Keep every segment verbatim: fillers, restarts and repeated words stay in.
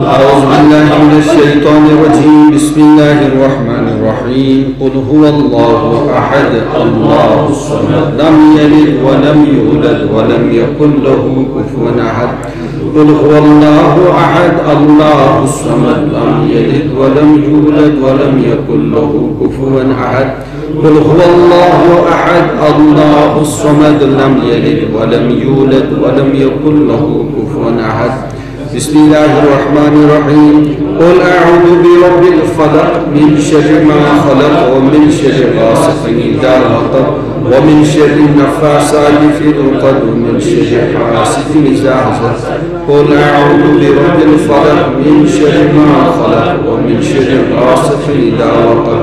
أعوذ بالله من الشيطان الرجيم. بسم الله الرحمن الرحيم. قل هو الله أحد، الله الصمد، لم يلد ولم يولد ولم يكن له كفوا أحد. قل هو الله أحد، الله الصمد، لم يلد ولم يولد ولم يكن له كفوا أحد. قل هو الله أحد، الله الصمد، لم يلد ولم يولد ولم يكن له كفوا أحد. بسم الله الرحمن الرحيم. قل أعوذ برب الفلق، من شر ما خلق، ومن شر غاسق إذا وقب، ومن شر النفاثات في العقد، ومن شر حاسد إذا حسد. قل أعوذ برب الفلق، من شر ما خلق، ومن شر غاسق إذا وقب،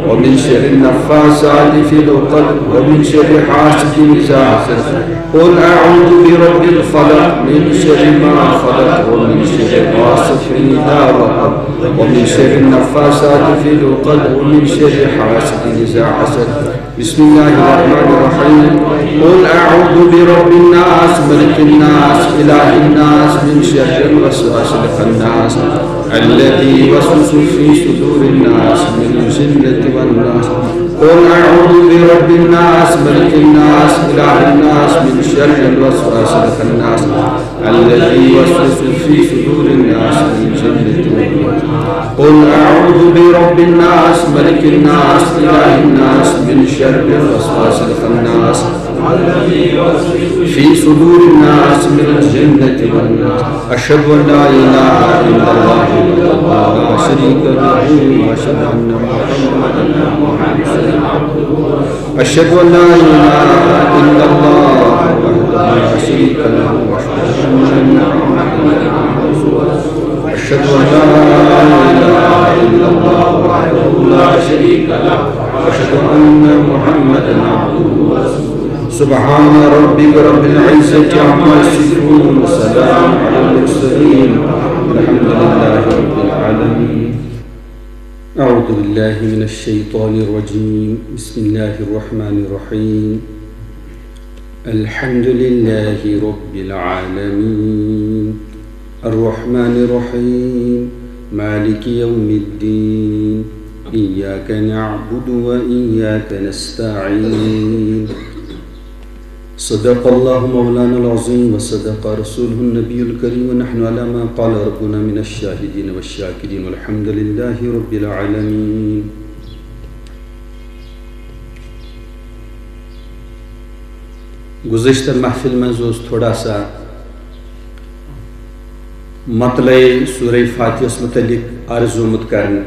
ومن شر النفاثات في العقد، ومن شر حاسد إذا حسد. قل أعوذ برب الفلق، من شر ما خلق، ومن شر غاسق إذا وقب، ومن شر النفاثات في العقد، ومن شر حاسد إذا حسد. بسم الله الرحمن الرحيم. قل أعوذ برب الناس، ملك الناس، إله الناس، من شر الوسواس الخناس، الذي يوسوس في صدور الناس، من الجنة والناس. قل أعوذ برب الناس، ملك الناس، إله الناس، من شر الوسواس الخناس، الذي يوسوس في صدور الناس، من الجنة والناس. قل أعوذ برب الناس، ملك الناس، إله الناس، من شر الوسواس الخناس، في صدور الناس، من الجنة والناس. أشهد أن لا إله إلا الله وحده لا شريك له، وأشهد أن محمدا عبده ورسوله. أشهد أن لا إله إلا الله وحده لا شريك له، وأشهد أن محمدا عبده ورسوله. أشهد أن لا إله إلا الله وحده لا شريك له، وأشهد أن محمدا عبده ورسوله. سبحان ربك رب العزة عما يصفون، وسلام على المرسلين، والحمد لله رب العالمين. أعوذ بالله من الشيطان الرجيم. بسم الله الرحمن الرحيم. الحمد لله رب العالمين. الرحمن الرحيم. مالك يوم الدين. إياك نعبد وإياك نستعين. صدق الله مولانا العظيم وصدق رسوله النبي الكريم، ونحن على ما قال ربنا من الشاهدين والشاكرين، والحمد لله رب العالمين. گزشتہ محفل منٛز اوس تھوڑا سا مطلع سورہ فاتحس متعلق عرض آمت کرنہٕ۔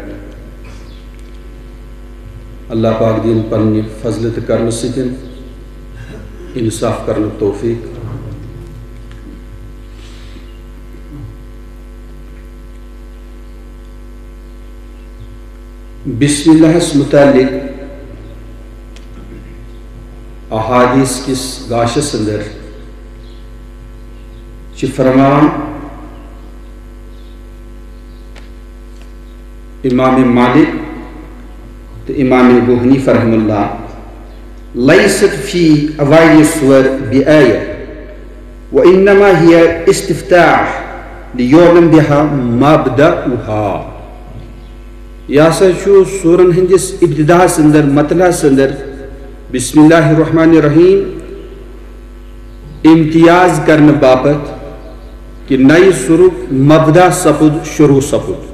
اللہ پاک دین پننہِ فضلہٕ تہٕ کرمہٕ سۭتۍ انصاف کرنُک توفیق۔ بسم اللہس متعلق احادیث کس گاشس اندر چھ فرمان امام مالک تہٕ امام ابو حنیفہ رحمہ اللہ، لیست فی اوائل سور بآیہ، وانما ہی استفتاح لیعلم بها مبدأها۔ یہ ہسا چھُ سورن ہندس ابتداہس اندر، مطلعس اندر، بسم اللہ الرحمن الرحیم امتیاز کرنہٕ باپتھ کہ نئے سورک مبدا سپُد، شروع سپُد۔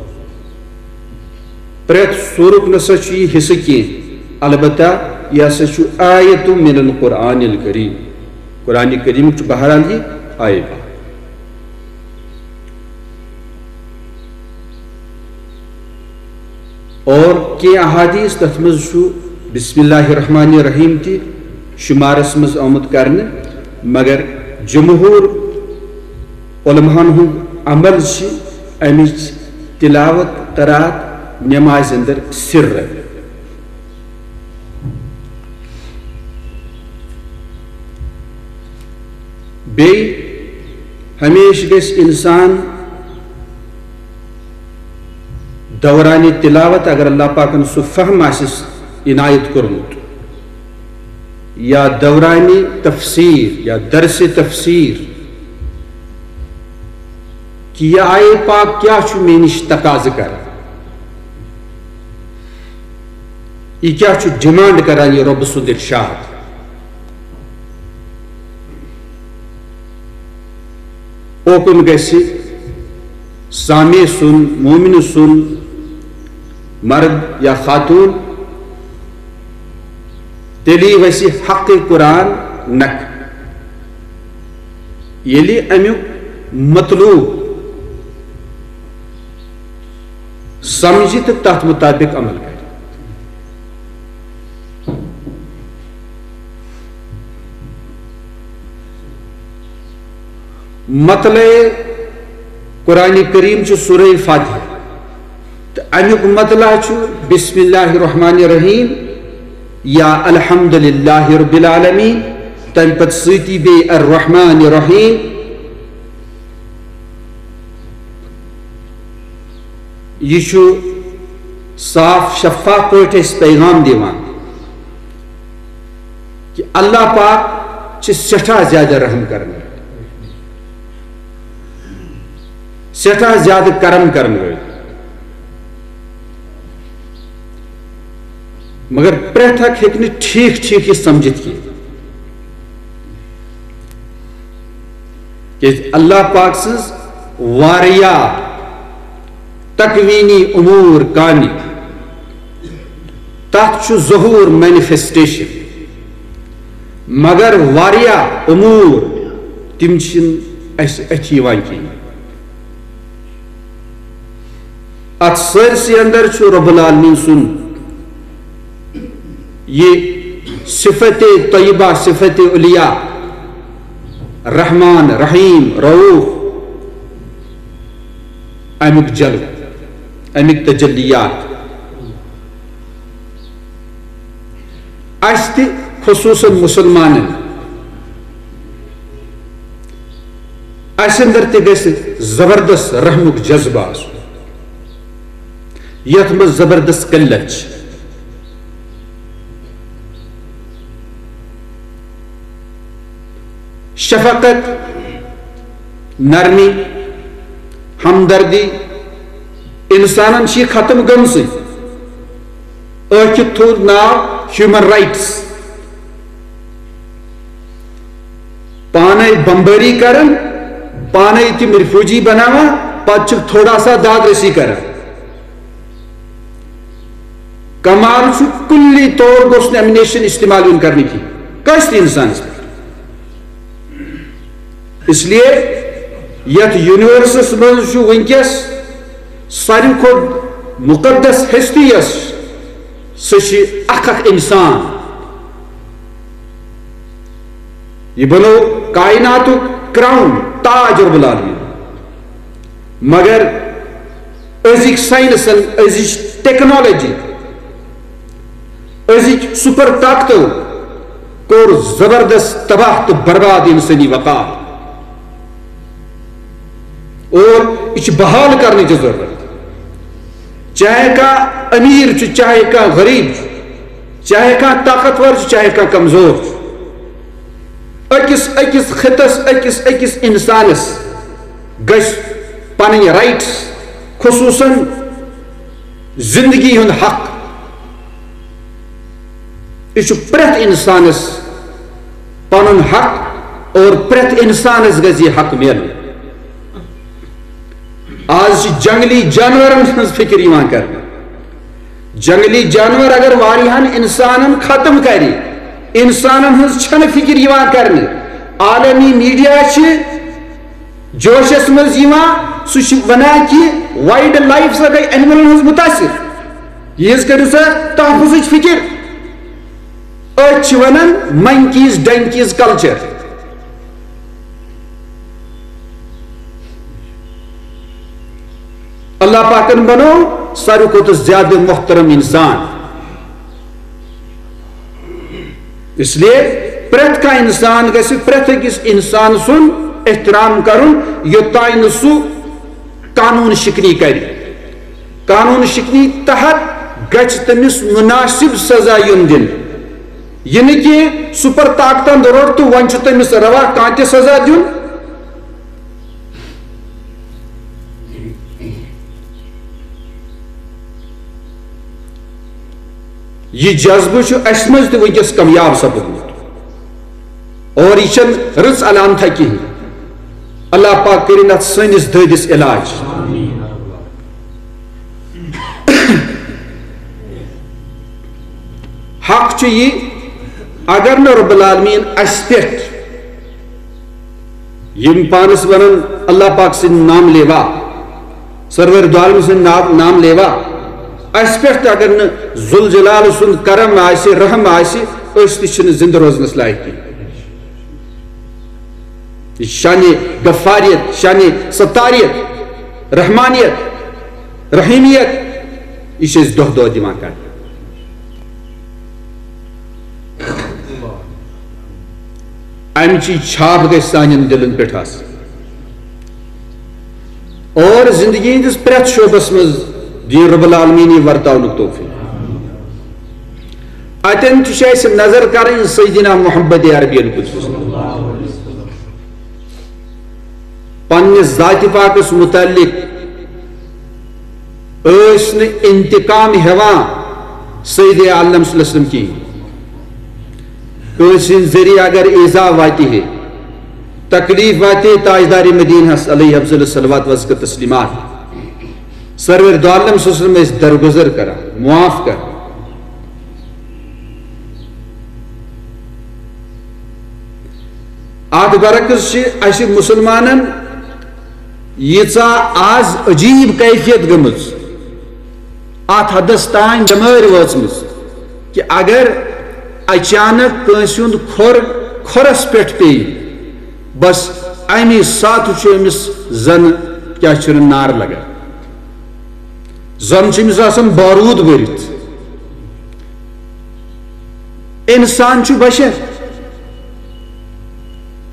پرٛٮ۪تھ سورک نسا چھُ یہِ حصہٕ کینٛہہ، البتہ یہِ ہسا چھُ آیت من القرآن الکریم، قرآن کریم چھُ بہرحال یہِ آیت۔ اور کینٛہہ احادیث تتھ منٛز چھُ بسم اللہ الرحمن الرحیم تہِ شمارس منٛز آمُت کرنہٕ، مگر جمہور علماہن ہُنٛد عمل چھِ امِچ تلاوت قرات نمازِ اندر سر۔ بیٚیہِ ہمیشہِ گژھِ انسان دوران تلاوت، اگر اللہ پاکن سُہ فہم آسٮ۪س عنایت کوٚرمُت، یا دوران تفسیر یا درس تفسیر، کہ یہِ آیے پاک کیٛاہ چھُ مےٚ نِش تقاضہٕ کران، یہِ کیٛاہ چھُ ڈیمانڈ کران یہِ رۄبہٕ سُنٛد ارشاد۔ اوکُن گژھِ سامع سُنٛد، مومنہٕ سُنٛد، مرد یا خاتون، تیٚلی وَسہِ حق قرآن نکھٕ۔ ییٚلہِ اَمیُک مطلوب سمجھِ تہٕ تَتھ مُطابِق عمل کرِ۔ مطلع قرآن کریم چھُ سورہ فاتحہ، تہٕ اَمیُک مطلع چھُ بسم اللہ الرحمن الرحیم یا الحمد للہ رب العالمین، تَمہِ پتہٕ سۭتی بیٚیہِ الرحمن الرحیم۔ یہِ چھُ صاف شفاف پٲٹھۍ اَسہِ پیغام دِوان کہ اللہ پاک چھِ سٮ۪ٹھاہ زیادٕ رحم کرن وٲلۍ، سٮ۪ٹھاہ زیادٕ کرم کرن وٲلۍ۔ مگر پرٛٮ۪تھ اکھ ہیٚکہِ نہٕ ٹھیٖک ٹھیٖک یہِ سمجھِتھ کینٛہہ، کیازِ اللہ پاک سٕنٛز واریاہ تکوینی امور کامہِ، تتھ چھُ ظہور، مینیفیسٹیشن، مگر واریاہ امور تِم چھِنہٕ اسہِ اتھِ یِوان کینٛہہ۔ اتھ سٲرسٕے اندر چھُ رب العالمین سُنٛد یہِ صفت طیبہ، صفت علیہ، رحمان، رحیم، رؤوف، امیُک جلوٕ، امیُک تجلیات۔ اسہِ تہِ، خصوصاً مسلمانن، اسہِ اندر تہِ گژھِ زبردست رحمُک جذبہٕ آسُن، یتھ منٛز زبردست قلت چھِ۔ شفقت، نرمی، ہمدردی، انسانن چھِ یہِ ختم گٔمژٕے۔ ٲکھِتھ تھوٚو ناو ہیومن رائٹس۔ پانے بمبٲری کران، پانے تِم ریفیوجی بناوان، پتہٕ چھِکھ تھوڑا سا داد رسی کران۔ کمال چھُ، کُلی طور گوٚژھ نہٕ ایمنیشن استعمال یُن کرنہٕ کینٛہہ کٲنٛسہِ تہِ انسانس پٮ۪ٹھ۔ اس لیے یتھ یونیورسس منٛز چھُ وٕنکیٚس ساروی کھۄتہٕ مقدس ہستی یۄس، سُہ چھِ اکھ اکھ انسان۔ یہِ بنوو کائناتُک کراؤن، تاج رب العالمین۔ مگر أزِکۍ ساینسن، أزِچ ٹیکنالوجی، أزِکۍ سپر طاقتو کوٚر زبردست تباہ تہٕ برباد انسٲنی وقار۔ اور یہِ چھِ بحال کرنٕچ ضرورت۔ چاہے کانٛہہ امیر چھُ، چاہے کانٛہہ غریب چھُ، چاہے کانٛہہ طاقتور چھُ، چاہے کانٛہہ کمزور چھُ، أکِس أکِس خطس، أکِس أکِس انسانس گژھِ پنٕنۍ رائٹس، خصوصاً زندگی ہُنٛد حق۔ یہِ چھُ پرٛٮ۪تھ انسانس پنُن حق، اور پرٛٮ۪تھ انسانس گژھِ یہِ حق میلُن۔ آز چھِ جنگلی جانورن ہٕنٛز فکر یِوان کرنہٕ۔ جنگلی جانور اگر واریاہن انسانن ختم کرِ، انسانن ہٕنٛز چھنہٕ فکر یِوان کرنہٕ۔ عالمی میڈیا چھِ جوشس منٛز یِوان، سُہ چھُ ونان کہِ وائلڈ لائف سا گٔے اینیملن ہٕنٛز متاثر۔ یِہٕنٛز کٔرِو سا تحفظٕچ فکر۔ أتھۍ چھِ ونان monkeys donkeys culture۔ اللہ پاکن بنوو ساروی کھۄتہٕ زیادٕ محترم انسان۔ اس لیے پرٛٮ۪تھ کانٛہہ انسان گژھِ پرٛٮ۪تھ أکِس انسان سُنٛد احترام کرُن، یوٚتام نہٕ سُہ قانون شکنی کرِ۔ قانون شکنی تحت گژھِ تٔمِس مناسب سزا یُن دِنہٕ۔ یہِ نہٕ کینٛہہ سپر طاقتن روٚٹ تہٕ وۄنۍ چھُ تٔمِس روا کانٛہہ تہِ سزا دیُن۔ یہِ جذبہٕ چھُ اَسہِ منٛز تہِ وٕنکیٚس کامیاب سپُدمُت۔ اور یہِ چھَنہٕ رٕژ علامتھا کِہیٖنۍ۔ اللہ پاک کٔرِنۍ اَتھ سٲنِس دٲدِس علاج۔ حق چھُ یہِ، اگر نہٕ رب العالمین اَسہِ پٮ۪ٹھ، یِم پانَس وَنان اللہ پاک سٕنٛدۍ نام لیوا، سرور دو عالم سٕنٛدۍ نام، نام لیوا، اَسہِ پٮ۪ٹھ تہِ اگر نہٕ ذوالجلال سُنٛد کرم آسہِ، رحم آسہِ، أسۍ تہِ چھِنہٕ زِندٕ روزنَس لایق کینٛہہ۔ یہِ چھِ شانِ غفاریت، شانِ ستاریت، رحمانیت، رحیمیت، یہِ چھِ أسۍ دۄہ دۄہ دِوان کرنہٕ۔ امچی چھاپ گژھِ سانٮ۪ن دِلن پٮ۪ٹھ آسٕنۍ۔ اور زندگی ہٕنٛدِس پرٛٮ۪تھ شعبس منٛز دِیِن رب العالمین یہِ ورتاونُک توفیق۔ اتٮ۪ن تہِ چھِ اَسہِ نظر کرٕنۍ سیدنا محمد عربین قدس۔ پننہِ ذاتِ پاکس متعلق ٲسۍ نہٕ انتقام ہٮ۪وان سید عالم صلی اللہ علیہ وسلم کِہیٖنۍ۔ کٲنٛسہِ ہٕنٛدِ ذٔریعہٕ اگر ایزا واتہِ ہے، تکلیف واتہِ ہے تاجدار مدینہس علیہ افضل الصلوات وازکہ تسلیمات، سرور دو عالم صلی اللہ علیہ وسلم ٲسۍ درگزر کران، معاف کران۔ اتھ برعکس چھِ اسہِ مسلمانن ییٖژاہ آز عجیب کیفیت گٔمٕژ، اتھ حدس تام بٮ۪مٲرۍ وٲژمٕژ کہِ اگر اچانک کٲنٛسہِ ہُنٛد کھۄر کھۄرس پٮ۪ٹھ پیٚیہِ، بس امی ساتہٕ چھُ أمِس زن کیٛاہ چھُ نار لگان، زن چھُ أمِس آسان بارود بٔرِتھ۔ انسان چھُ بشر،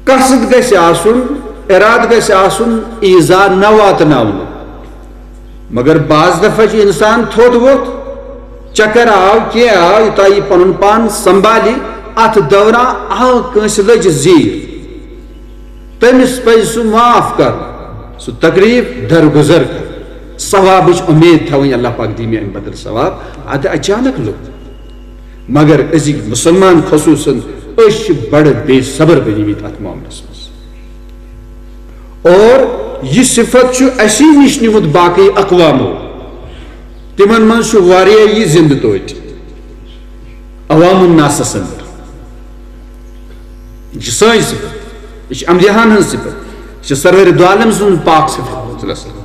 قصد گژھِ آسُن، ارادٕ گژھِ آسُن ایزا نہ واتناونُک۔ مگر بعض دفعہ چھُ انسان تھوٚد ووٚتھ، چکر آو، کینٛہہ آو، یوٚتام یہِ پنُن پان سنبھالہِ، اتھ دوران آو کٲنٛسہِ لٔج زیٖر، تٔمِس پزِ سُہ معاف کرُن، سُہ تکلیف درگزر کرُن، ثوابٕچ اُمید تھاوٕنۍ، اللہ پاک دِیہِ مےٚ امہِ بدل ثواب۔ اتھ اچانک لوٚگ۔ مگر أزِکۍ مُسلمان خصوٗصن، أسۍ چھِ بڑٕ بے صبر بنیمٕتۍ اتھ معاملس منٛز۔ اور یہِ صفت چھُ اسی نِش نیوٗمُت باقٕے اقوامو۔ تِمن منٛز چھُ واریاہ یہِ زِندٕ توتہِ عوام الناسس اندر۔ یہِ چھِ سٲنۍ صفت، یہِ چھِ انبیاہن ہٕنٛز صفت، یہِ چھِ سرور دو عالم سٕنٛز پاک صفت۔ صلی اللہ علیہ وسلم۔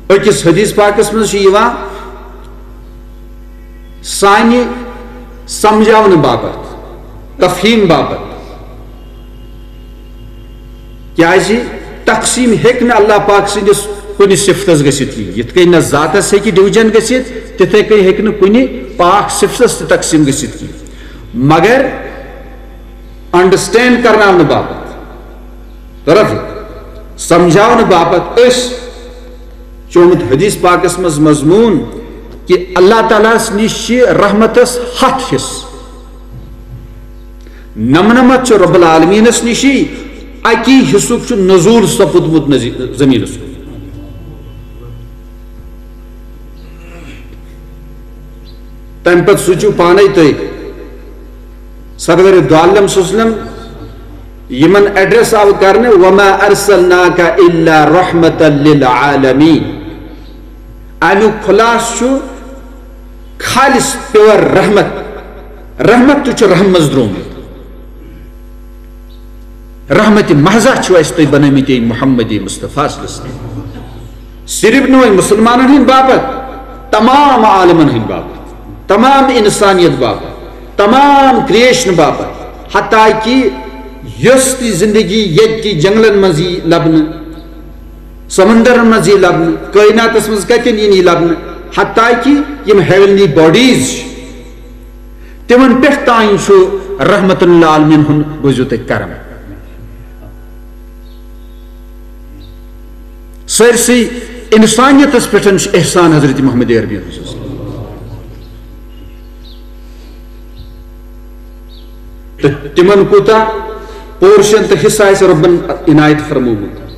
أکِس حدیث پاکس منٛز چھُ یِوان سانہِ سمجھاونہٕ باپتھ، تفہیم باپتھ، کیازِ تقسیم ہیٚکہِ نہٕ اللہ پاک سٕنٛدِس کُنہِ صفتس گٔژھِتھ کِہیٖنۍ۔ یِتھ کٔنۍ نہٕ ذاتس ہیٚکہِ ڈوجن گٔژھِتھ، تِتھے کٔنۍ ہیٚکہِ نہٕ کُنہِ پاک صفتس تہِ تقسیم گٔژھِتھ کِہیٖنۍ۔ مگر انڈرسٹینڈ کرناونہٕ باپتھ، طرف سمجھاونہٕ باپتھ أسۍ چھُ آمُت حدیث پاکس منٛز مضموٗن کہِ اللہ تعالیٰ ہس نِش چھِ رحمتس ہتھ حصہٕ۔ نمنمتھ چھُ رب العالمینس نِشی، اکی حصُک چھُ نزول سپُدمُت نزی-، زمینس کُن۔ تمہِ پتہٕ سوٗنٛچِو پانے تُہۍ، سرور دو عالم صلی اللہ علیہ وسلم یِمن ایڈریس آو کرنہٕ، "وما ارسلناک الا رحمتا للعالمین"۔ امیُک خلاصہٕ چھُ خالص پیور رحمت۔ رحمت تہِ چھُ رحم منٛز درٛامُت۔ رحمت محضہ چھُ اَسہِ تُہۍ بنٲومٕتۍ محمد مصطفیٰ صلی اللہ علیہ وسلم۔ صرف نہٕ وۄنۍ مُسلمانن ہٕنٛدِ باپتھ، تمام عالمن ہٕنٛدِ باپتھ، تمام انسانیت باپتھ، تمام کریشن باپتھ، حتیٰ کہ یۄس تہِ زندگی ییٚتہِ تہِ جنگلن منٛز یی لبنہٕ، سمندرن منٛز یی لبنہٕ، کائناتس منٛز کتٮ۪ن یی نہٕ لبنہٕ، حتیٰ کہ یِم ہیونلی باڈیز چھِ، تِمن پٮ۪ٹھ تام چھُ رحمت للعالمین ہُنٛد، بوٗزِو تُہۍ، کرم۔ سٲرسٕے انسانیتس پٮ۪ٹھ چھُ احسان حضرت محمد عربی ہُنٛد۔ تہٕ تِمن کوٗتاہ پورشن تہٕ حصہٕ آسہِ رۄبن عنایت فرمومُت۔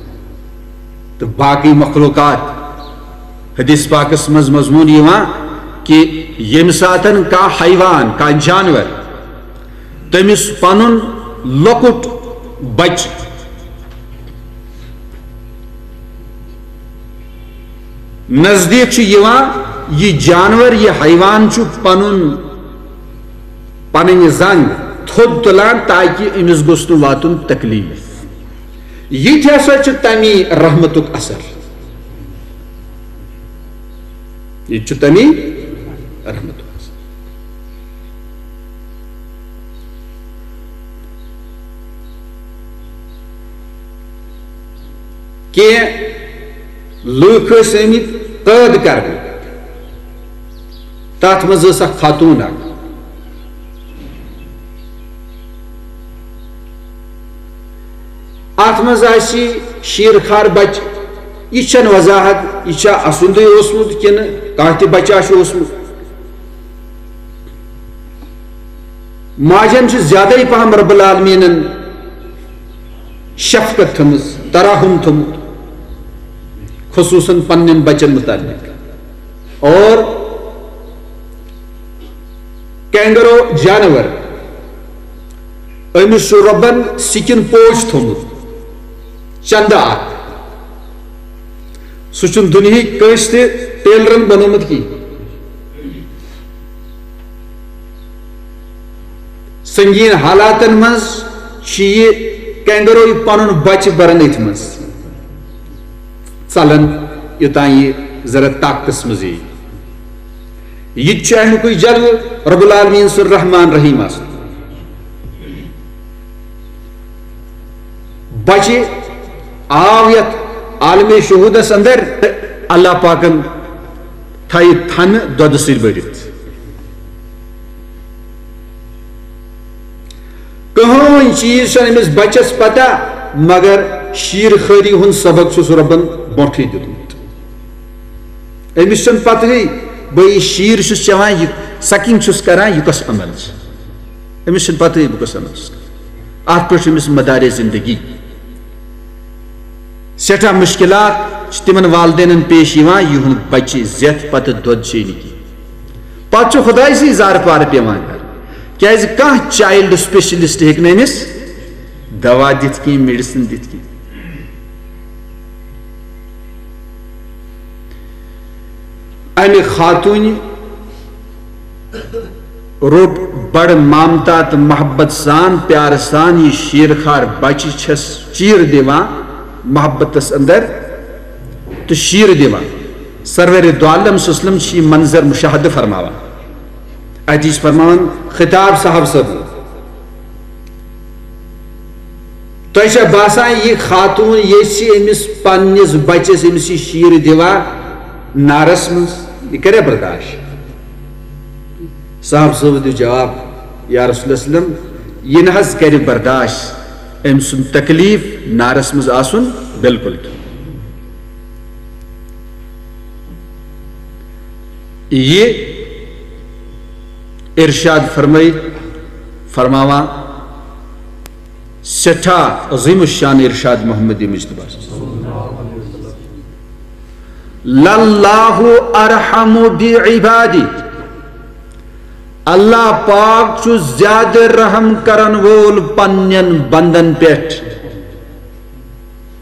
تہٕ باقٕے مخلوقات، حدیث پاکس منٛز مضموٗن یِوان کہِ ییٚمہِ ساتن کانٛہہ حیوان، کانٛہہ جانور، تٔمِس پنُن لۄکُٹ بچہٕ نزدیٖک چھُ یِوان، یہِ جانور، یہِ حیوان چھُ پنُن، پنٕنۍ زنٛگ تھوٚد تُلان تاکہِ أمِس گوٚژھ نہٕ واتُن تکلیٖف۔ یہِ تہِ ہسا چھُ تَمی رحمتُک اثر۔ یہِ تہِ چھُ تَمی رحمتُک اثر۔ کینٛہہ لوٗکھ ٲسۍ آمٕتۍ قٲد کرنہٕ، تَتھ منٛز ٲس اکھ خاتوٗن اکھ۔ اَتھ منٛز آسہِ شیٖر خار بچہٕ، یہِ چھَنہٕ وضاحت، یہِ چھا اَسُنٛدُے اوسمُت کِنہٕ کانٛہہ تہِ بچہ چھُ اوسمُت۔ ماجن چھُ زیادَے پہم رب العالمیٖنن شفقت تھٲومٕژ، ترحم تھوٚومُت، خصوٗصاً پننٮ۪ن بچن متعلق۔ اور کینگرو جانور، أمِس چھُ رۄبن سِکِن پوش تھوٚومُت، چندٕ اکھ۔ سُہ چھُنہٕ دُنیہٕکۍ کٲنٛسہِ تہِ ٹیلرن بنوومُت کینٛہہ۔ سنگین حالاتن منٛز چھُ یہِ کینگرو یہِ پنُن بچہٕ بران أتھۍ منٛز، ژلان یوٚتام یہِ ذرا طاقتس منٛز یی۔ یہِ تہِ چھُ اَمیُکُے جلوٕ رب العالمین سُنٛد رحمان رحیم آسُن۔ بچہِ آو یتھ عالم شہودس اندر، اللہ پاکن تھایہِ تھنہٕ دۄدٕ سۭتۍ بٔرِتھ۔ کٕہٕنۍ چیٖز چھُنہٕ أمِس بچس پتہ، مگر شیٖر خٲری ہُنٛد سبق چھُس رۄبن برونٛٹھٕے دیُتمُت۔ أمِس چھَنہٕ پتہٕے، بہٕ یہِ شیٖر چھُس چٮ۪وان، یہِ sucking چھُس کران، یہِ کۄس عمل چھِ؟ أمِس چھَنہٕ پتہٕے، بہٕ کۄس عمل چھُس کران۔ اَتھ پٮ۪ٹھ چھُ أمِس مدارِ زندگی۔ سٮ۪ٹھاہ مُشکِلات چھِ تِمن والدینن پیش یِوان، یِہُنٛد بچہِ زٮ۪تھ پتہٕ دۄد چیٚیہِ نہٕ کینٛہہ۔ پتہٕ چھُ خۄداے سٕے زارٕ پارٕ پٮ۪وان کرُن، کیازِ کانٛہہ child specialist ہیٚکہِ نہٕ أمِس دوا دِتھ کینٛہہ، medicine دِتھ کینٛہہ۔ امہِ خاتوٗنہِ روٚٹ بڑٕ ممتا تہٕ محبت سان، پیارٕ سان یہِ شیٖر خار بچہِ چھس چیٖر دِوان محبتس اندر تہٕ شیٖر دِوان۔ سرور دو عالم صلی اللہ علیہ وسلم چھِ یہِ منظر مشاہدٕ فرماوان۔ اتی چھِ فرماوان خطاب صاحب صٲبن، تۄہہِ چھا باسان یہِ خاتوٗن ییٚژھِ أمِس پننِس بچس أمِس یہِ شیٖر دِوا نارس منٛز؟ یہِ کرِ برداشت؟ صاحب صٲب دیُت جواب، یا رسول اللہ صلی اللہ علیہ وسلم، یہِ نہ حظ کرِ برداشت أمۍ سُنٛد تکلیف نارس منٛز آسُن بالکل تہِ۔ یہِ ارشاد فرمٲیِتھ فرماوان سٮ۪ٹھاہ عظیم الشان ارشاد محمد مجتبیٰ۔ للہ ارحم بعبادہ، اللہ پاک چھُ زیادٕ رحم کرن وول پننٮ۪ن بندن پٮ۪ٹھ۔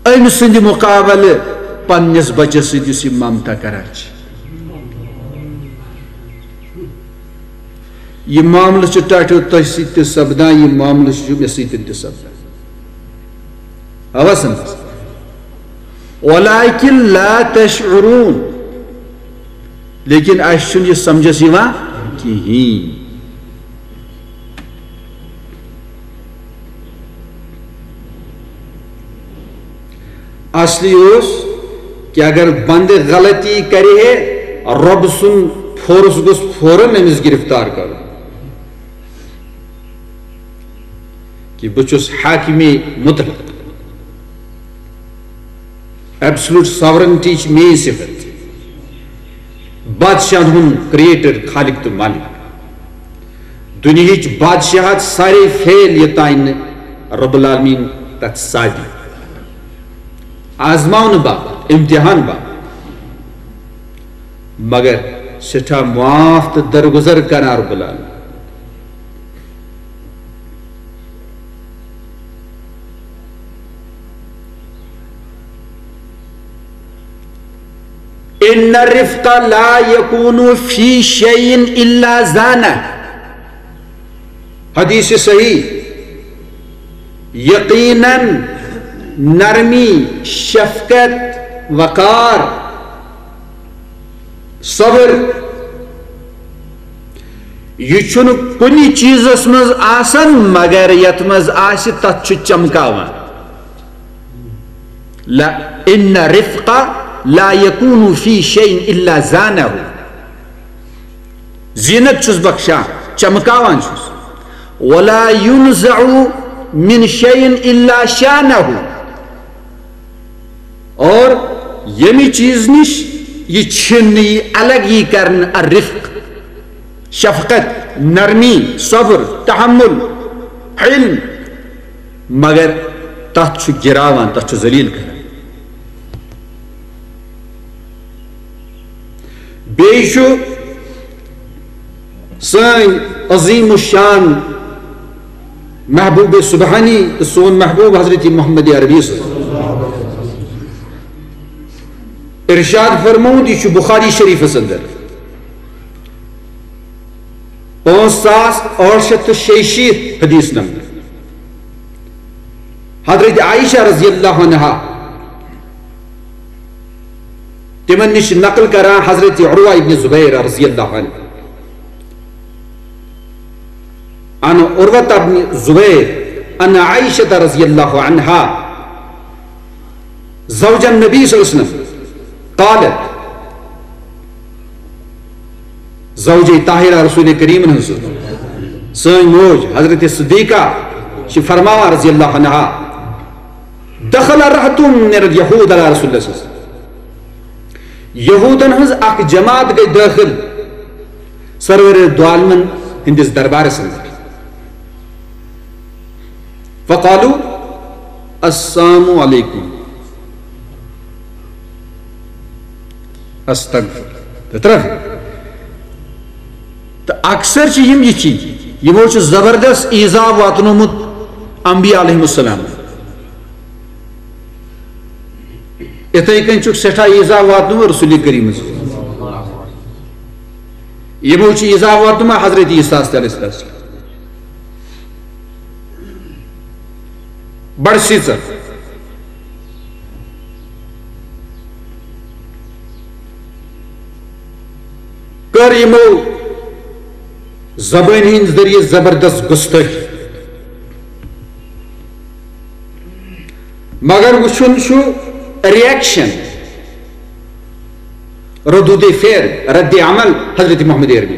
أمۍ سٕنٛدِ مُقابلہٕ پننِس بچس سۭتۍ یُس یہِ ممتا کران چھِ۔ یہِ معاملہٕ چھُ ٹاٹھیو تۄہہِ سۭتۍ تہِ سپدان، یہِ معاملہٕ چھُ مےٚ سۭتۍ تہِ سپدان۔ اوا سمجھ؟ ولكن لا تشعرون۔ لیکن اَسہِ چھُنہٕ یہِ سمجھس یِوان کِہیٖنۍ۔ اصلی اوس کہ اگر بندٕ غلطی کرِ ہے، رۄب سُنٛد فورس گوٚژھ فوراً أمِس گرفتار کرُن۔ کہ بہٕ چھُس حاکمی مطلق، absolute sovereignty چھِ میٲنۍ صفت، بادشاہن ہُنٛد creator، خالق تہٕ مالک۔ دُنیہٕچ بادشاہت سارے فیل یوٚتام نہٕ رب العالمین تتھ سادی آزماونہٕ باپتھ، امتحان باپتھ، مگر سٮ۪ٹھاہ معاف تہٕ درگزر کران رب العالمین۔ ان الرفق لا يكون في شيء الا زانه۔ حدیث صحیح۔ یقیناً نرمی، شفقت، وقار، صبر، یہِ چھُنہٕ کُنہِ چیٖزس منٛز آسان مگر یتھ منٛز آسہِ تتھ چھُ چمکاوان۔ لا، ان الرفق لا يكون في شيء الا زانه۔ زینت چھُس بخشان، چمکاوان چھُس۔ ولا ينزع من شيء الا شانه۔ اور ییٚمہِ چیٖز نِش یہِ چھِنہٕ یہِ الگ یی کرنہٕ، الرفق، شفقت، نرمی، صبر، تحمل، علم، مگر تتھ چھُ گراوان، تتھ چھُ ذلیل کران۔ بیٚیہِ چھُ سٲنۍ عظیم الشان محبوب سبحانی تہٕ سون محبوب حضرت محمد عربی صلی اللہ علیہ وسلم۔ ارشاد فرمومُت، یہِ چھُ بخاری شریفس اندر پانٛژھ ساس ٲٹھ شیٚتھ تہٕ شیٚیہِ شیٖتھ حدیث نمبر۔ حضرت عائشہ رضی اللہ عنہا، تِمن نِش نقل کران حضرت عروہ ابن زبیر رضی اللہ عنہ، عن عروة بن زبیر ان عائشہ رضی اللہ عنہا زوج النبی صلی اللہ علیہ وسلم قالت، زوجہ طاہرہ رسول کریمن ہٕنٛز، سٲنۍ موج حضرت صدیقہ چھِ فرماوان رضی اللہ عنہا، دخل رہط من الیہود علی رسول اللہ صلی اللہ علیہ وسلم۔ یہودن ہٕنٛز اکھ جماعت گٔے دٲخل سرور دو عالمن ہٕنٛدِس دربارس اندر۔ فقالوا، السلام علیکم۔ استغفر۔ تہٕ ترٛٹھ۔ تہٕ اکثر چھِ یِم یِتھی، یِمو چھُ زبردست ایذا واتنومُت انبیاء علیہم السلام۔ یِتھے کٔنۍ چھُکھ سٮ۪ٹھاہ ایذا واتنومُت رسول کریمس۔ یِمو چھُ ایذا واتنومُت حضرت عیسیٰ علیہ السلام۔ بڑٕ سیٖژر کٔر یِمو زبٲنۍ ہٕنٛدۍ ذٔریعہٕ زبردست گُستٲخی۔ مگر وٕچھُن چھُ reaction، ردود فعل، رد عمل حضرت محمد عربی۔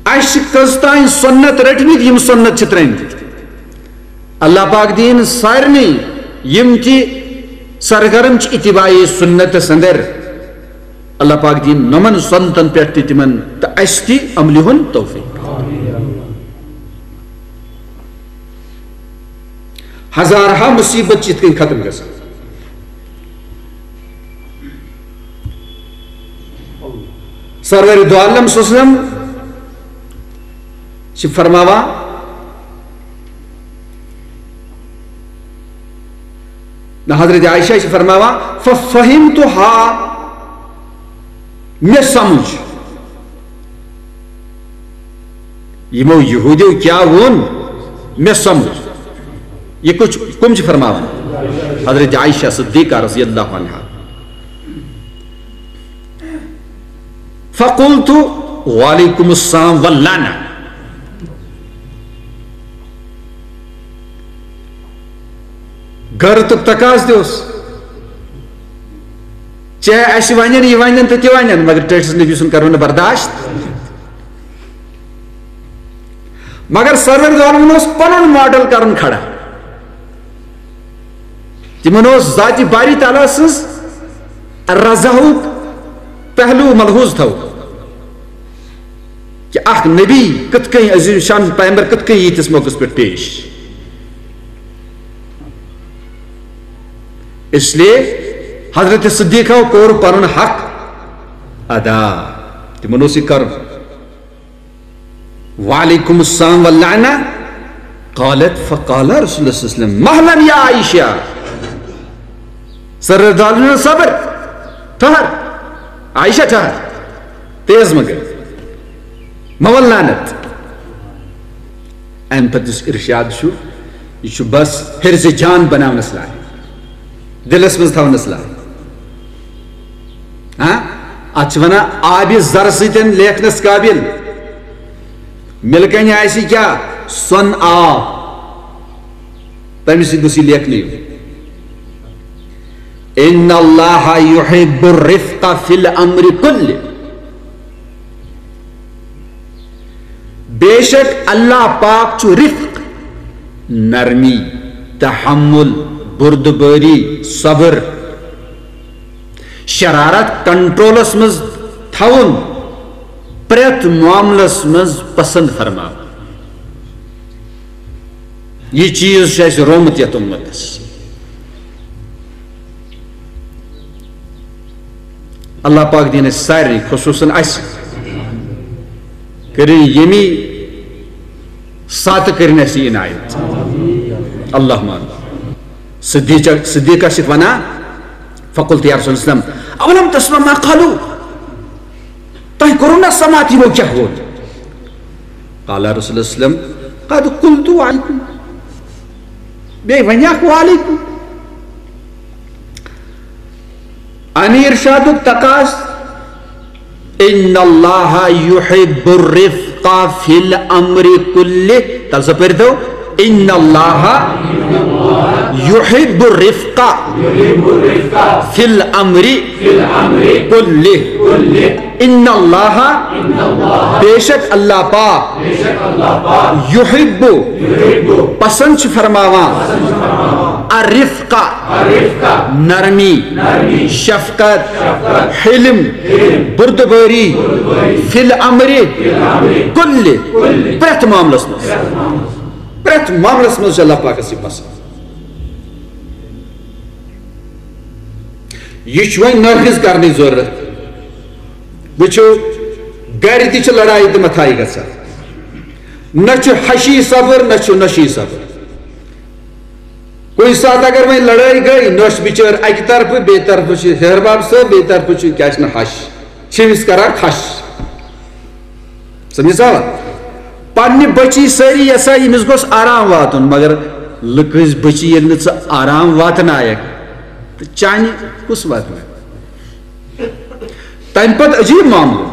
اَسہِ چھِ کٔژ تام سُنت رٔٹمٕتۍ، یِم سُنت چھِ ترٛٲمٕتۍ۔ اللہ پاک دِیِن سارنٕے یِم تہِ سرگرم چھِ اتباع سُنتس اندر، اللہ پاک دِیِن نۄمن سُنتن پٮ۪ٹھ تہِ تِمن تہٕ اَسہِ تہِ عملہِ ہُنٛد توفیق۔ ہزارہا مصیبت چھِ یِتھ کٔنۍ ختم گژھان۔ سرور دو عالم صلی اللہ علیہ وسلم چھِ فرماوان، نہ، حضرت عائشہ چھِ فرماوان، ففہمتہا، مےٚ سمجھ۔ یِمو یہودیو کیٛاہ ووٚن، مےٚ سمجھ۔ یہِ کُس، کٕم چھِ فرماوان؟ حضرت عائشہ صدیقہ رضی اللہ عنہا۔ فقلت، وعلیکم السلام واللعنہ۔ غیرتُک تقاضہٕ تہِ اوس۔ چاہے اَسہِ وَنن، یہِ وَنن تہٕ تہِ وَنن، مگر ٹٲٹھِس نبی سُنٛد کَرو نہٕ برداشت۔ مگر سرور دو عالمن اوس پَنُن ماڈل کَرُن کھڑا۔ تِمن اوس ذاتِ باری تعالیٰ سٕنٛز رضاہُک پہلو ملحوظ تھاوُن۔ کہ اکھ نبی کتھ کٔنۍ، عظیم شان پیغمبر کتھ کٔنۍ ییٖتِس موقعس پٮ۪ٹھ پیش۔ اس لیے حضرت صدیقہ کوٚر پنُن حق ادا، تِمن اوس یہِ کرُن۔ وعلیکم السلام واللعنہ۔ قالت فقال رسول اللہ صلی اللہ علیہ وسلم مہلا یا عائشہ۔ سر دالن صبر، ٹھہر، عائشہ ٹھہر، تیز مگر، مول لعنت۔ امہِ پتہٕ یُس ارشاد چھُ، یہِ چھُ بس حرز جان بناونس لایق، دلس منٛز تھاونس لایق۔ ہاں، اتھ چھِ ونان آبِ زر سۭتۍ لیکھنس قابل۔ مِلکن آسہِ کیا؟ سۄن آب۔ تمہِ سۭتۍ گوٚژھ یہِ لیکھنہٕ یُن۔ ان اللہ یحب الرفق فی الامر کلہ۔ بے شک اللہ پاک چھُ رفق، نرمی، تحمل، بردباری، صبر، شرارت کنٹرولس منٛز تھاوُن، پرٛٮ۪تھ معاملس منٛز پسند فرماوُن۔ یہِ چیٖز چھُ اَسہِ رومُت یَتھ اُمتس۔ اللہ پاک دِیِن اَسہِ سارنٕے، خصوٗصاً اَسہِ، کٔرِن ییٚمی ساتہٕ کٔرِن اَسہِ یہِ عنایت۔ اللہم آمین۔ صدیقہ، صدیقہ چھِ وَنان، فقلت یا رسول اللہ صلی اللہ علیہ وسلم، اولم تسمع ما قالوا؟ تۄہہِ کوٚروٕ نہ سماعت یِمو کیٛاہ ووٚن؟ قال رسول اللہ صلی اللہ علیہ وسلم، قد قلت علیکم۔ بیٚیہِ وَنیٛاکھ وعلیکم۔ امیر شادُک تقاض، ان اللہ یحب الرفق فی الامر کلہ۔ تَلہٕ سا پٔرۍتو، ان اللہ یحب الرفق فی الامر کلہ۔ ان اللہ، بے شک اللہ پاک، یحب، پسند چھُ فرماوان، الرفق، نرمی، شفقت، حلم، بردباری، فی الامر، کل، پرٛٮ۪تھ معاملس منٛز، پرٛٮ۪تھ معاملس منٛز چھُ اللہ پاکس یہِ پسند۔ یہِ چھُ وۄنۍ نٲفِذ کرنٕچ ضروٗرت۔ وٕچھِو، گرِ تہِ چھِ لڑایہِ تہٕ متھایہِ گژھان، نہ چھُ ہشی صبر، نہ چھُ نشی صبر۔ کُنہِ ساتہٕ اگر وۄنۍ لڑٲے گٔے، نۄش بِچٲر اکہِ طرفہٕ، بیٚیہِ طرفہٕ چھِ ہیہر باب صٲب، بیٚیہِ طرفہٕ چھِ، کیٛاہ چھِ نہٕ ہش، چھِ أمِس کران کھش۔ سمجھ آوا؟ پننہِ بچی سٲری یژھان، ییٚمِس گوٚژھ آرام واتُن، مگر لُکہٕ ہٕنٛز بچی ییٚلہِ نہٕ ژٕ آرام واتنایکھ، تہٕ چانہِ کُس واتنایہِ؟ تمہِ پتہٕ عجیب معاملہٕ۔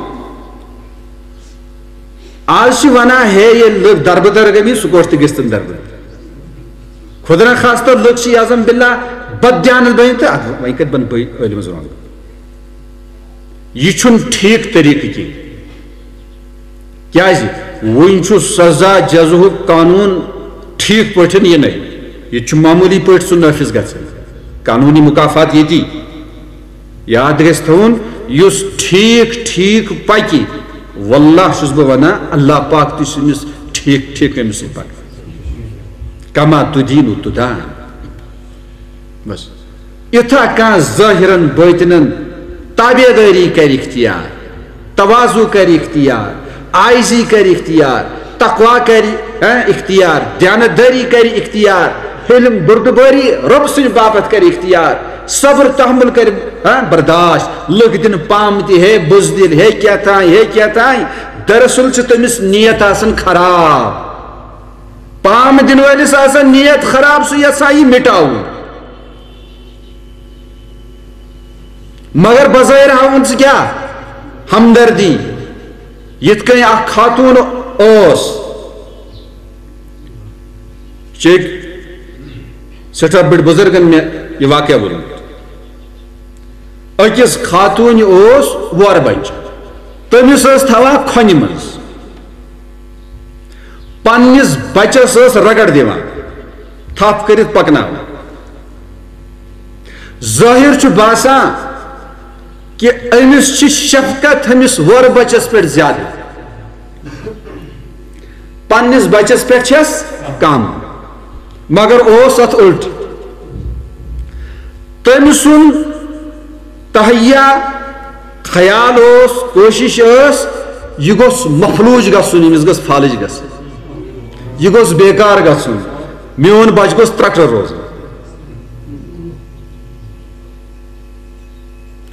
آز چھِ ونان، ہے، ییٚلہِ لُکھ دربٕدر گٔمٕتۍ، سُہ کوٚٹ تہِ گژھِ تِم دربٕدر۔ خدا نخواستہ لُکھ چھِ، یعظم باللہ، بددیانت بٔنِتھ، تہٕ اتھ وۄنۍ کتہِ بنہٕ بہٕ عٲلمس رونٛگ؟ یہِ چھُنہٕ ٹھیٖک طریٖقہٕ کینٛہہ۔ کیٛازِ؟ وُنہِ چھُ سزا جزاہُک قانوٗن ٹھیٖک پٲٹھۍ یِنَے۔ ییٚتہِ چھُ معموٗلی پٲٹھۍ سُہ نٲفِذ گژھان۔ قانوٗنی مُکافات ییٚتی۔ یاد گژھِ تھاوُن، یُس ٹھیٖک ٹھیٖک پَکہِ، واللہ چھُس بہٕ وَنان، اللہ پاک تہِ چھُ أمِس ٹھیٖک ٹھیٖک أمِس سۭتۍ پَکان۔ کما تدین تدان۔ بس۔ یِتھا کانٛہہ ظٲہِرن باطنن تابعدٲری کرِ اختیار، تواضع کرِ اختیار، عاجزی کرِ اختیار، تقوی کرِ، ہاں، اختیار، دیانتدٲری کرِ اختیار، حلم بردبٲری رۄب سٕنٛدِ باپتھ کرِ اختیار، صبر تحمل کرِ، ہاں، برداشت، لُکھ دِن پام تہِ، ہے بزدل، ہے کیٛاہ تام، ہے کیٛاہ تام۔ دراصل چھِ تٔمِس نیت آسان خراب۔ پام دِنہٕ وٲلِس آسان نیت خراب، سُہ یژھان یہِ مِٹاوُن۔ مگر بظٲہِر ہاوُن ژٕ کیٛاہ؟ ہمدردی۔ یِتھ کٔنۍ اکھ خاتوٗن اوس، چیٚکۍ سٮ۪ٹھاہ بٔڑۍ بُزرگن مےٚ یہِ واقعہ ووٚنمُت۔ أکِس خاتوٗنہِ اوس وۄر بچہٕ، تٔمِس ٲس تھاوان کھۄنہِ منٛز۔ پننِس بچس ٲس رگڑ دِوان، تھپھ کٔرِتھ پکناوان۔ ظٲہِر چھُ باسان کہِ أمِس چھِ شفقت أمِس وۄر بچس پٮ۪ٹھ زیادٕ۔ پننِس بچس پٮ۪ٹھ چھس کم، مگر اوس اتھ الٹ۔ تٔمۍ سُنٛد تہیہ خیال اوس، کوٗشِش ٲس، یہِ گوٚژھ مفلوٗج گژھُن، أمِس گٔژھ فالج گژھٕنۍ، یہِ گوٚژھ بیکار گژھُن، میون بچہٕ گوٚژھ ترٛٹہٕ روزُن۔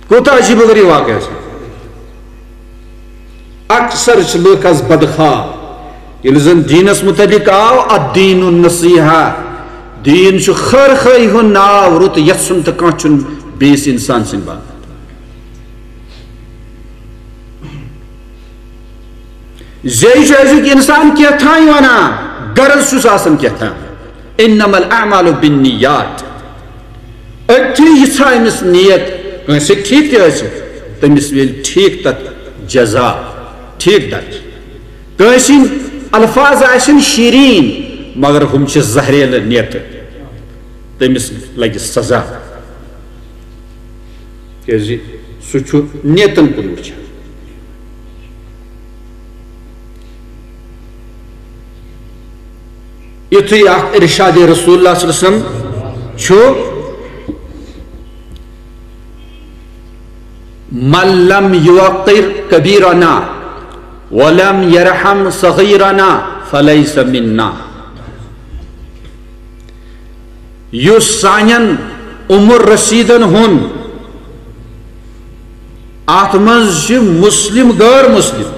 کوٗتاہ عجیٖب و غریٖب واقعہ چھُ۔ اکثر چھِ لُکھ از بدخواہ۔ ییٚلہِ زن دیٖنس متعلق آو، الدین النصیحہ، دیٖن چھُ خٲر خٲہی ہُنٛد ناو، رُت یژھُن تہٕ کانٛہہ چھُنہٕ بیٚیِس انسان سٕنٛدِ باپتھ۔ زیٚیہِ چھُ أزیُک انسان کینٛہہ تام ونان، غرض چھُس آسان کینٛہہ تام۔ انما الاعمال بالنیات۔ أتھی یہِ ژھا أمِس نیت، کٲنٛسہِ ہیٚکہِ ٹھیٖک تہِ ٲسِتھ، تٔمِس میلہِ ٹھیٖک تتھ جزا، ٹھیٖک درجہٕ۔ کٲنٛسہِ ہٕنٛدۍ الفاظ آسن شیٖریٖن، مگر ہُم چھِ زہریلہٕ نیتہٕ، تٔمِس لگہِ سزا، کیازِ سُہ چھُ نیتن کُن وٕچھان۔ یُتھُے اکھ ارشاد رسول اللہ صلی اللہ علیہ وسلم چھُ، "من لم يوقر كبيرنا ولم يرحم صغيرنا فليس منا"۔ یُس سانٮ۪ن عمر رسیدن ہُنٛد، اتھ منٛز چھِ مسلم، غٲر مسلم،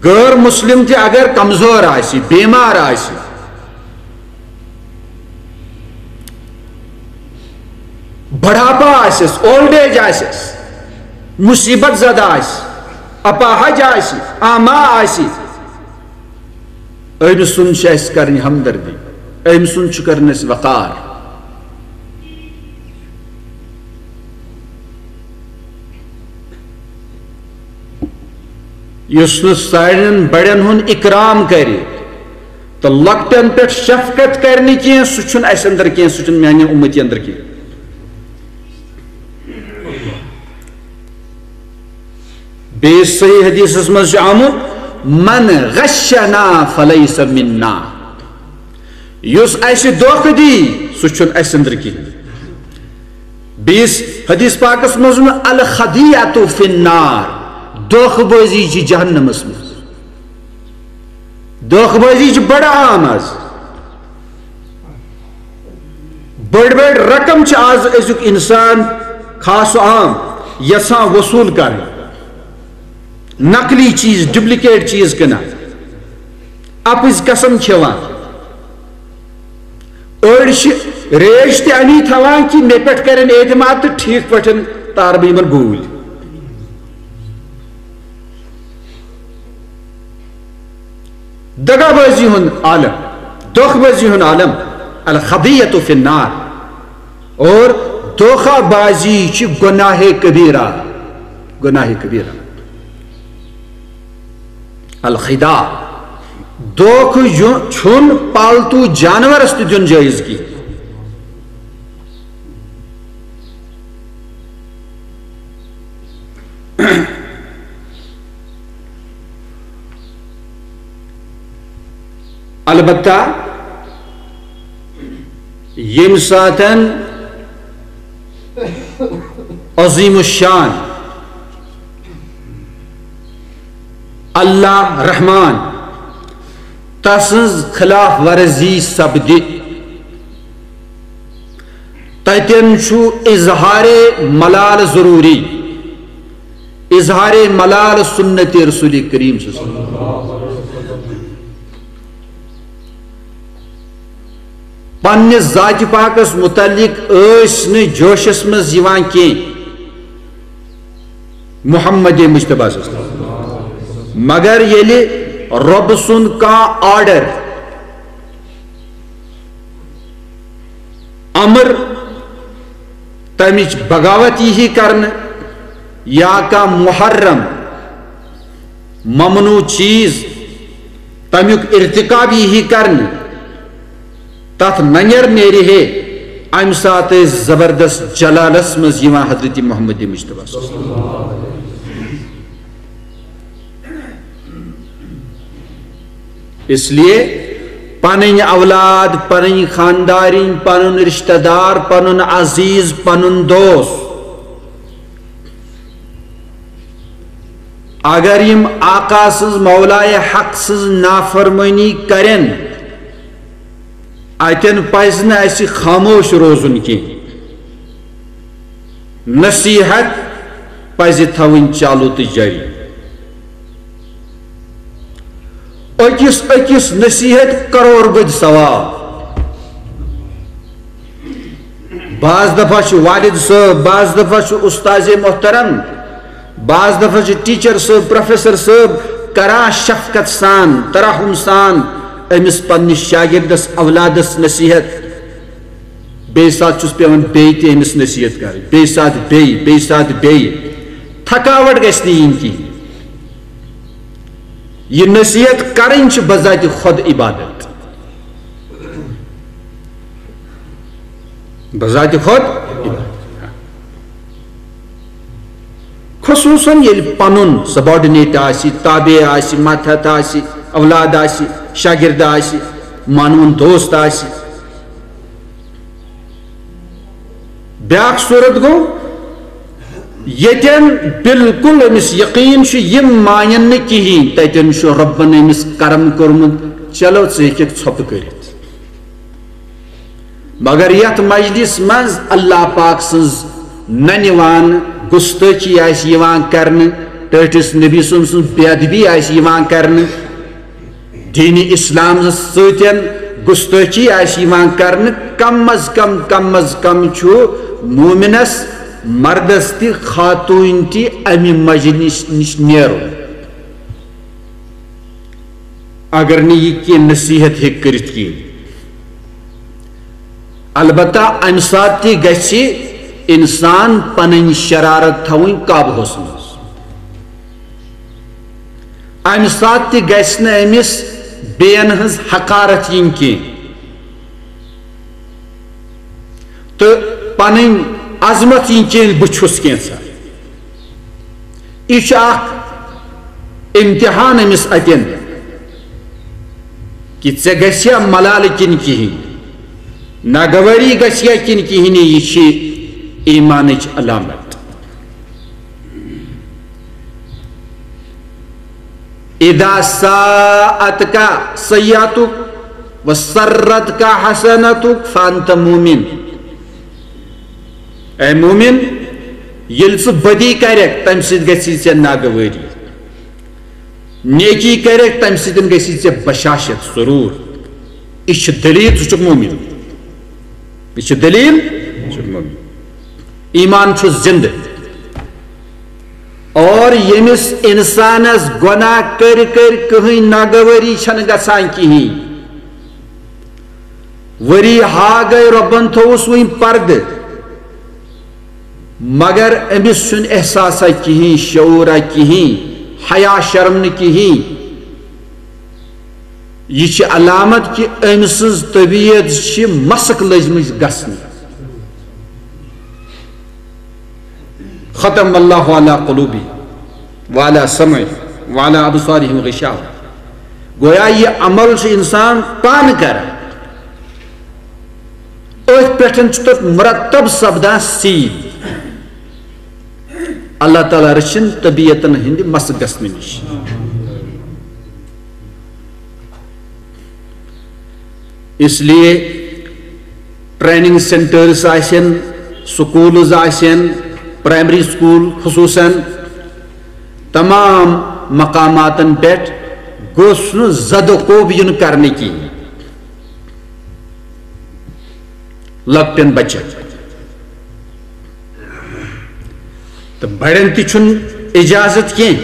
غٲر مسلم تہِ اگر کمزور آسہِ، بیمار آسہِ، بڑھاپا آسٮ۪س، اولڈ ایج آسٮ۪س، مصیبت زدہ آسہِ، اپاہج آسہِ، آما آسہِ، أمۍ سُنٛد چھِ اَسہِ کَرٕنۍ ہمدردی، أمۍ سُنٛد چھُ کَرُن اَسہِ وقار۔ یُس نہٕ سانٮ۪ن بڑٮ۪ن ہُنٛد اکرام کرِ تہٕ لۄکٹٮ۪ن پٮ۪ٹھ شفقت کرِ نہٕ کینٛہہ، سُہ چھُنہٕ اَسہِ اندر کینٛہہ، سُہ چھُنہٕ میانہِ اُمتی اندر کینٛہہ۔ بیٚیِس صحیح حدیثس منٛز چھُ آمُت، "من غشنا فلیس منا"، یُس اَسہِ دھوکہٕ دی، سُہ چھُنہٕ اَسہِ اندر کِہیٖنۍ۔ بیٚیِس حدیث پاکس منٛز ووٚن، "الخدیعۃ فی النار"، دھوکہٕ بٲزی چھِ جہنمس منٛز۔ دھوکہٕ بٲزی چھِ بڑٕ عام آز۔ بٔڑۍ بٔڑۍ رقم چھِ آز أزیُک انسان خاص و عام یژھان وصوٗل کرٕنۍ۔ نقلی چیٖز، ڈُپلیکیٹ چیٖز کٕنان، اَپٕزۍ قسم کھٮ۪وان۔ أڑۍ چھِ ریش تہِ اَمی تھاوان کہِ مےٚ پٮ۪ٹھ کرن اعتماد تہٕ ٹھیٖک پٲٹھۍ تارٕ بہٕ یِمن گوٗلۍ۔ دغا بازی ہُنٛد عالم، دھوکہ بازی ہُنٛد عالم، الخدیعۃ فی النار۔ اور دھوکہ بازی چھِ گناہ کبیرہ، گناہ کبیرہ۔ الخداع، دھوکہ یُن چھُنہٕ پالتو جانورس تہِ دیُن جٲیز کینٛہہ۔ البتہ ییٚمہِ ساتن عظیم الشان اللہ رحمان تسٕنٛز خلاف ورزی سپدِ، تتٮ۪ن چھُ اظہار ملال ضروٗری۔ اظہار ملال سنت رسول کریم صلی اللہ علیہ وسلم۔ پننہِ ذاتِ پاکس متعلق ٲسۍ نہٕ جوشس منٛز یِوان کینٛہہ محمد مجتبیٰ صلی اللہ علیہ وسلم۔ مگر ییٚلہِ رۄب سُنٛد کانٛہہ آرڈر، امر، تمِچ بغاوت یی کرنہٕ، یا کانٛہہ محرم، ممنوع چیز، تمیُک ارتکاب یی کرنہٕ، تتھ ننیر نیرِ ہے، امہِ ساتہٕ ٲسۍ زبردست جلالس منٛز یِوان حضرت محمد مجتبیٰ صلی اللہ علیہ وسلم۔ اس لیے پنٕنۍ اولاد، پنٕنۍ خاندارِنۍ، پنُن رشتہ دار، پنُن عزیز، پنُن دوست، اگر یِم آقا سٕنٛز، مولائے حق سٕنٛز نافرمٲنی کرن، اتٮ۪ن پزِ نہٕ اسہِ خاموش روزُن کینٛہہ۔ نصیحت پزِ تھاوٕنۍ چالو تہٕ جٲری۔ أکِس أکِس نصیحت کرور بٔدۍ ثواب۔ بعض دفعہ چھُ والد صٲب، بعض دفعہ چھُ استاذ محترم، بعض دفعہ چھُ ٹیچر صٲب، پروفیسر صٲب کران شفقت سان، ترحم سان أمِس پننِس شاگردس، اولادس نصیحت۔ بیٚیہِ ساتہٕ چھُس پٮ۪وان بیٚیہِ تہِ أمِس نصیحت کرٕنۍ، بیٚیہِ ساتہٕ بیٚیہِ، بیٚیہِ ساتہٕ بیٚیہِ۔ تھکاوٹ گژھِ نہٕ یِنۍ کِہیٖنۍ۔ یہِ نصیحت کرٕنۍ چھِ بذاتِ خود عبادت۔ بذاتِ خود عبادت۔ خصوصاً ییٚلہِ پنُن سبارڈینیٹ آسہِ، تابع آسہِ، ماتحت آسہِ، اولاد آسہِ، شاگرد آسہِ، مانوُن دوست آسہِ۔ بیاکھ صورت گوٚو، ییٚتٮ۪ن بالکل أمِس یقیٖن چھُ، یِم مانن نہٕ کِہیٖنۍ، تَتٮ۪ن چھُ رۄبن أمِس کرم کوٚرمُت، چلو، ژٕ ہیٚککھ ژھۄپہٕ کٔرِتھ۔ مگر یتھ مجلس منٛز اللہ پاک سٕنٛز ننہِ وان گستٲخی آسہِ یِوان کرنہٕ، ٹٲٹھِس نبی سٕنٛز، سٕنٛز بے ادبی آسہِ یِوان کرنہٕ، دین اسلام سۭتۍ گستٲخی آسہِ یِوان کرنہٕ، کم از کم، کم از کم چھُ مومنس مردس تہِ خاتوٗن تہِ امہِ مجلس نِش نیرُن۔ اگر نہٕ یہِ کینٛہہ نصیحت ہیٚکہِ کٔرِتھ کِہیٖنۍ۔ البتہ امہِ ساتہٕ تہِ گژھِ انسان پنٕنۍ شرارت تھاوٕنۍ قابوٗہس منٛز۔ امہِ ساتہٕ تہِ گژھِ نہٕ أمِس بیٚین ہٕنٛز حقارت یِنۍ کینٛہہ تہٕ پنٕنۍ عظمت یِنۍ کینٛہہ، بہٕ چھُس کینٛژھا۔ یہِ چھُ اکھ امتحان أمِس اتٮ۪ن کہِ ژےٚ گژھِ یا ملالہٕ کِنہٕ کِہیٖنۍ، ناگوٲری گژھِ یا کِنہٕ کِہیٖنۍ، یہِ چھِ ایٖمانٕچ علامت۔ اذا ساءتک سیئتک و سرتک حسنتک فانت مومن۔ اے مومن، ییٚلہِ ژٕ بدی کرکھ، تمہِ سۭتۍ گژھی ژےٚ ناگوٲری۔ نیکی کرکھ، تمہِ سۭتۍ گژھی ژےٚ بشاشت، سرور۔ یہِ چھِ دلیل، ژٕ چھُکھ مومن۔ یہِ چھِ دلیل، ژٕ چھُکھ مومن۔ ایمان چھُ زندٕ۔ اور ییٚمِس انسانس گۄناہ کٔرۍ کٔرۍ کٕہٕنۍ ناگوٲری چھنہٕ گژھان کِہیٖنۍ۔ ؤری ہا گٔے، رۄبن تھووُس وٕنۍ پردٕ، مگر أمِس چھُنہٕ احساسا کِہیٖنۍ، شعوٗرا کِہیٖنۍ، حیا شرم نہٕ کِہیٖنۍ۔ یہِ چھِ علامت کہِ أمۍ سٕنٛز طبیعت چھِ مسخ لٔجمٕژ گژھنہِ۔ ختم اللہ علی قلوبہم وعلی سمعہم وعلی ابصارہم غشاوہ۔ گویا یہِ عمل چھُ انسان پانہٕ کران، أتھۍ پٮ۪ٹھ چھُ تَتھ مرتب سپدان سیٖل۔ اللہ تعالیٰ رٔچھِن طبیعتن ہٕنٛدِ مسخ گژھنہٕ نِش۔ اس لیے ٹریننگ سینٹرز آسن، سکولز آسن، پرائمری سکول خصوصاً، تمام مقاماتن پٮ۪ٹھ گوٚژھ نہٕ زد و کوب یُن کرنہٕ کینٛہہ۔ لۄکٹٮ۪ن بچن تہٕ بڑٮ۪ن تہِ چھُنہٕ اجازت کینٛہہ۔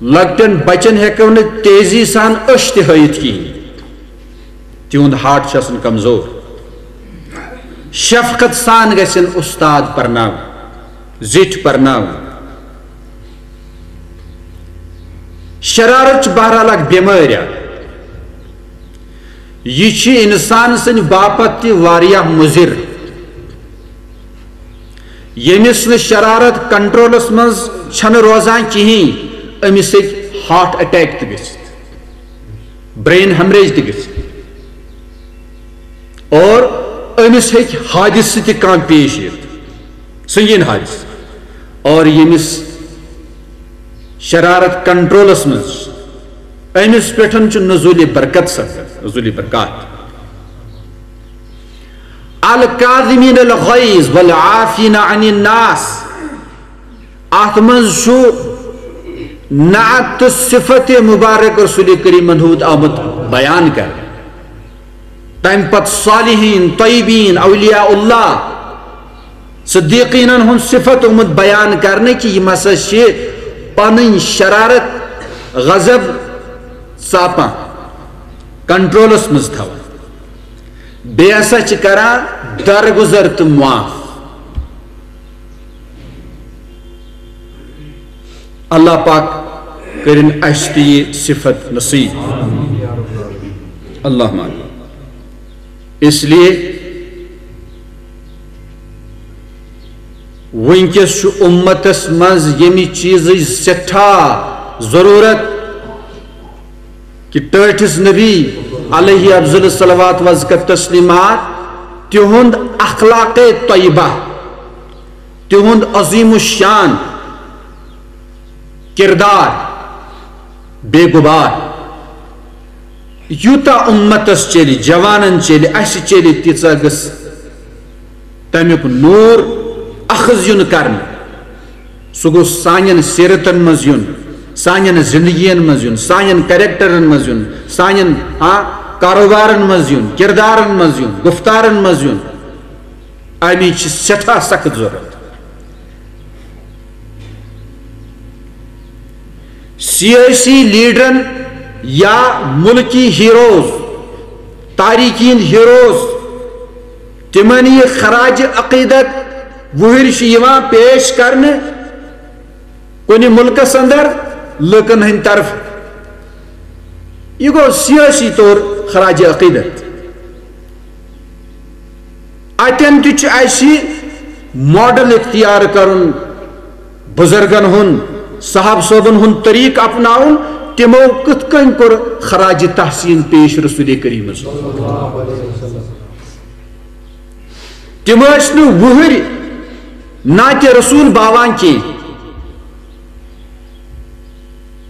لۄکٹٮ۪ن بچن ہٮ۪کو نہٕ تیزی سان أچھ تہِ ہٲیِتھ کِہیٖنۍ۔ تِہُنٛد ہارٹ چھُ آسان کمزور۔ شفقت سان گژھن استاد پرناوٕنۍ، زِٹھۍ پرناوٕنۍ۔ شرارت چھِ بہرحال اکھ بٮ۪مٲرۍ اکھ۔ یہِ چھِ انسان سٕنٛدِ باپتھ تہِ واریاہ مُضِر۔ ییٚمِس نہٕ شرارت کنٹرولس منٛز چھنہٕ روزان کِہیٖنۍ، أمِس ہیٚکہِ ہارٹ اٹیک تہِ گٔژھِتھ۔ برین ہیمریج تہِ گژھِ، اور أمِس ہیٚکہِ حادثہٕ تہِ کانٛہہ پیش یِتھ، سنگین حادثہٕ۔ اور ییٚمِس شرارت کنٹرولس منٛز چھِ، أمِس پٮ۪ٹھ چھُ نزول برکت سپدان، نزول برکات۔ الکاظمین الغیظ والعافین عن الناس۔ اتھ منٛز چھُ نعت تہٕ صفت مبارک رسول کریمن ہُنٛد آمُت بیان کرنہٕ۔ تمہِ پتہٕ صالحین، طیبین، اولیاء اللہ، صدیقینن ہُنٛد صفت آمُت بیان کرنہٕ کہِ یِم ہسا چھِ پنٕنۍ شرارت، غضب ژاپان، کنٹرولس منٛز تھاوان۔ بیٚیہِ ہسا چھِ کران درگُزر تہٕ معاف۔ اللہ پاک کٔرِن اَسہِ تہِ یہِ صفت نصیب۔ اللہم آمین۔ اس لیے وٕنکیٚس چھُ اُمتس منٛز ییٚمہِ چیٖزٕچ سٮ۪ٹھاہ ضروٗرت کہِ ٹٲٹھِس نبی علیہ افضل الصلوات وازکہ تسلیمات، تِہُنٛد اخلاق طیبہ، تِہُنٛد عظیم الشان کردار بے غبار۔ یوٗتاہ اُمتس چلہِ، جوانن چلہِ، اسہِ چلہِ، تیٖژاہ گٔژھ تمیُک نوٗر اخذ یُن کرنہٕ۔ سُہ گوٚژھ سانٮ۪ن سیرتن منٛز یُن، سانٮ۪ن زندگین منٛز یُن، سانٮ۪ن کریکٹرن منٛز یُن، سانٮ۪ن، ہاں، کاروبارن منٛز یُن، کردارن منٛز یُن، گفتارن منٛز یُن۔ امِچ چھِ سٮ۪ٹھاہ سخت ضروٗرت۔ سیٲسی لیڈرن یا ملکی ہیروز، تاریخی ہیروز، تِمن یہِ خراج عقیدت وُہٕرۍ چھِ یِوان پیش کرنہٕ کُنہِ مُلکس اندر لُکن ہٕنٛدِ طرفہٕ۔ یہِ گوٚو سیٲسی طور خراج عقیدت۔ اتٮ۪ن تہِ چھُ اسہِ ماڈل اختیار کرُن، بزرگن ہُنٛد، صاحب صٲبن ہُنٛد طریقہٕ اپناوُن، تِمو کِتھ کٔنۍ کوٚر خراج تحسین پیش رسول کریمس۔ تِم ٲسۍ نہٕ وُہٕرۍ نعتِ رسول باوان کینٛہہ۔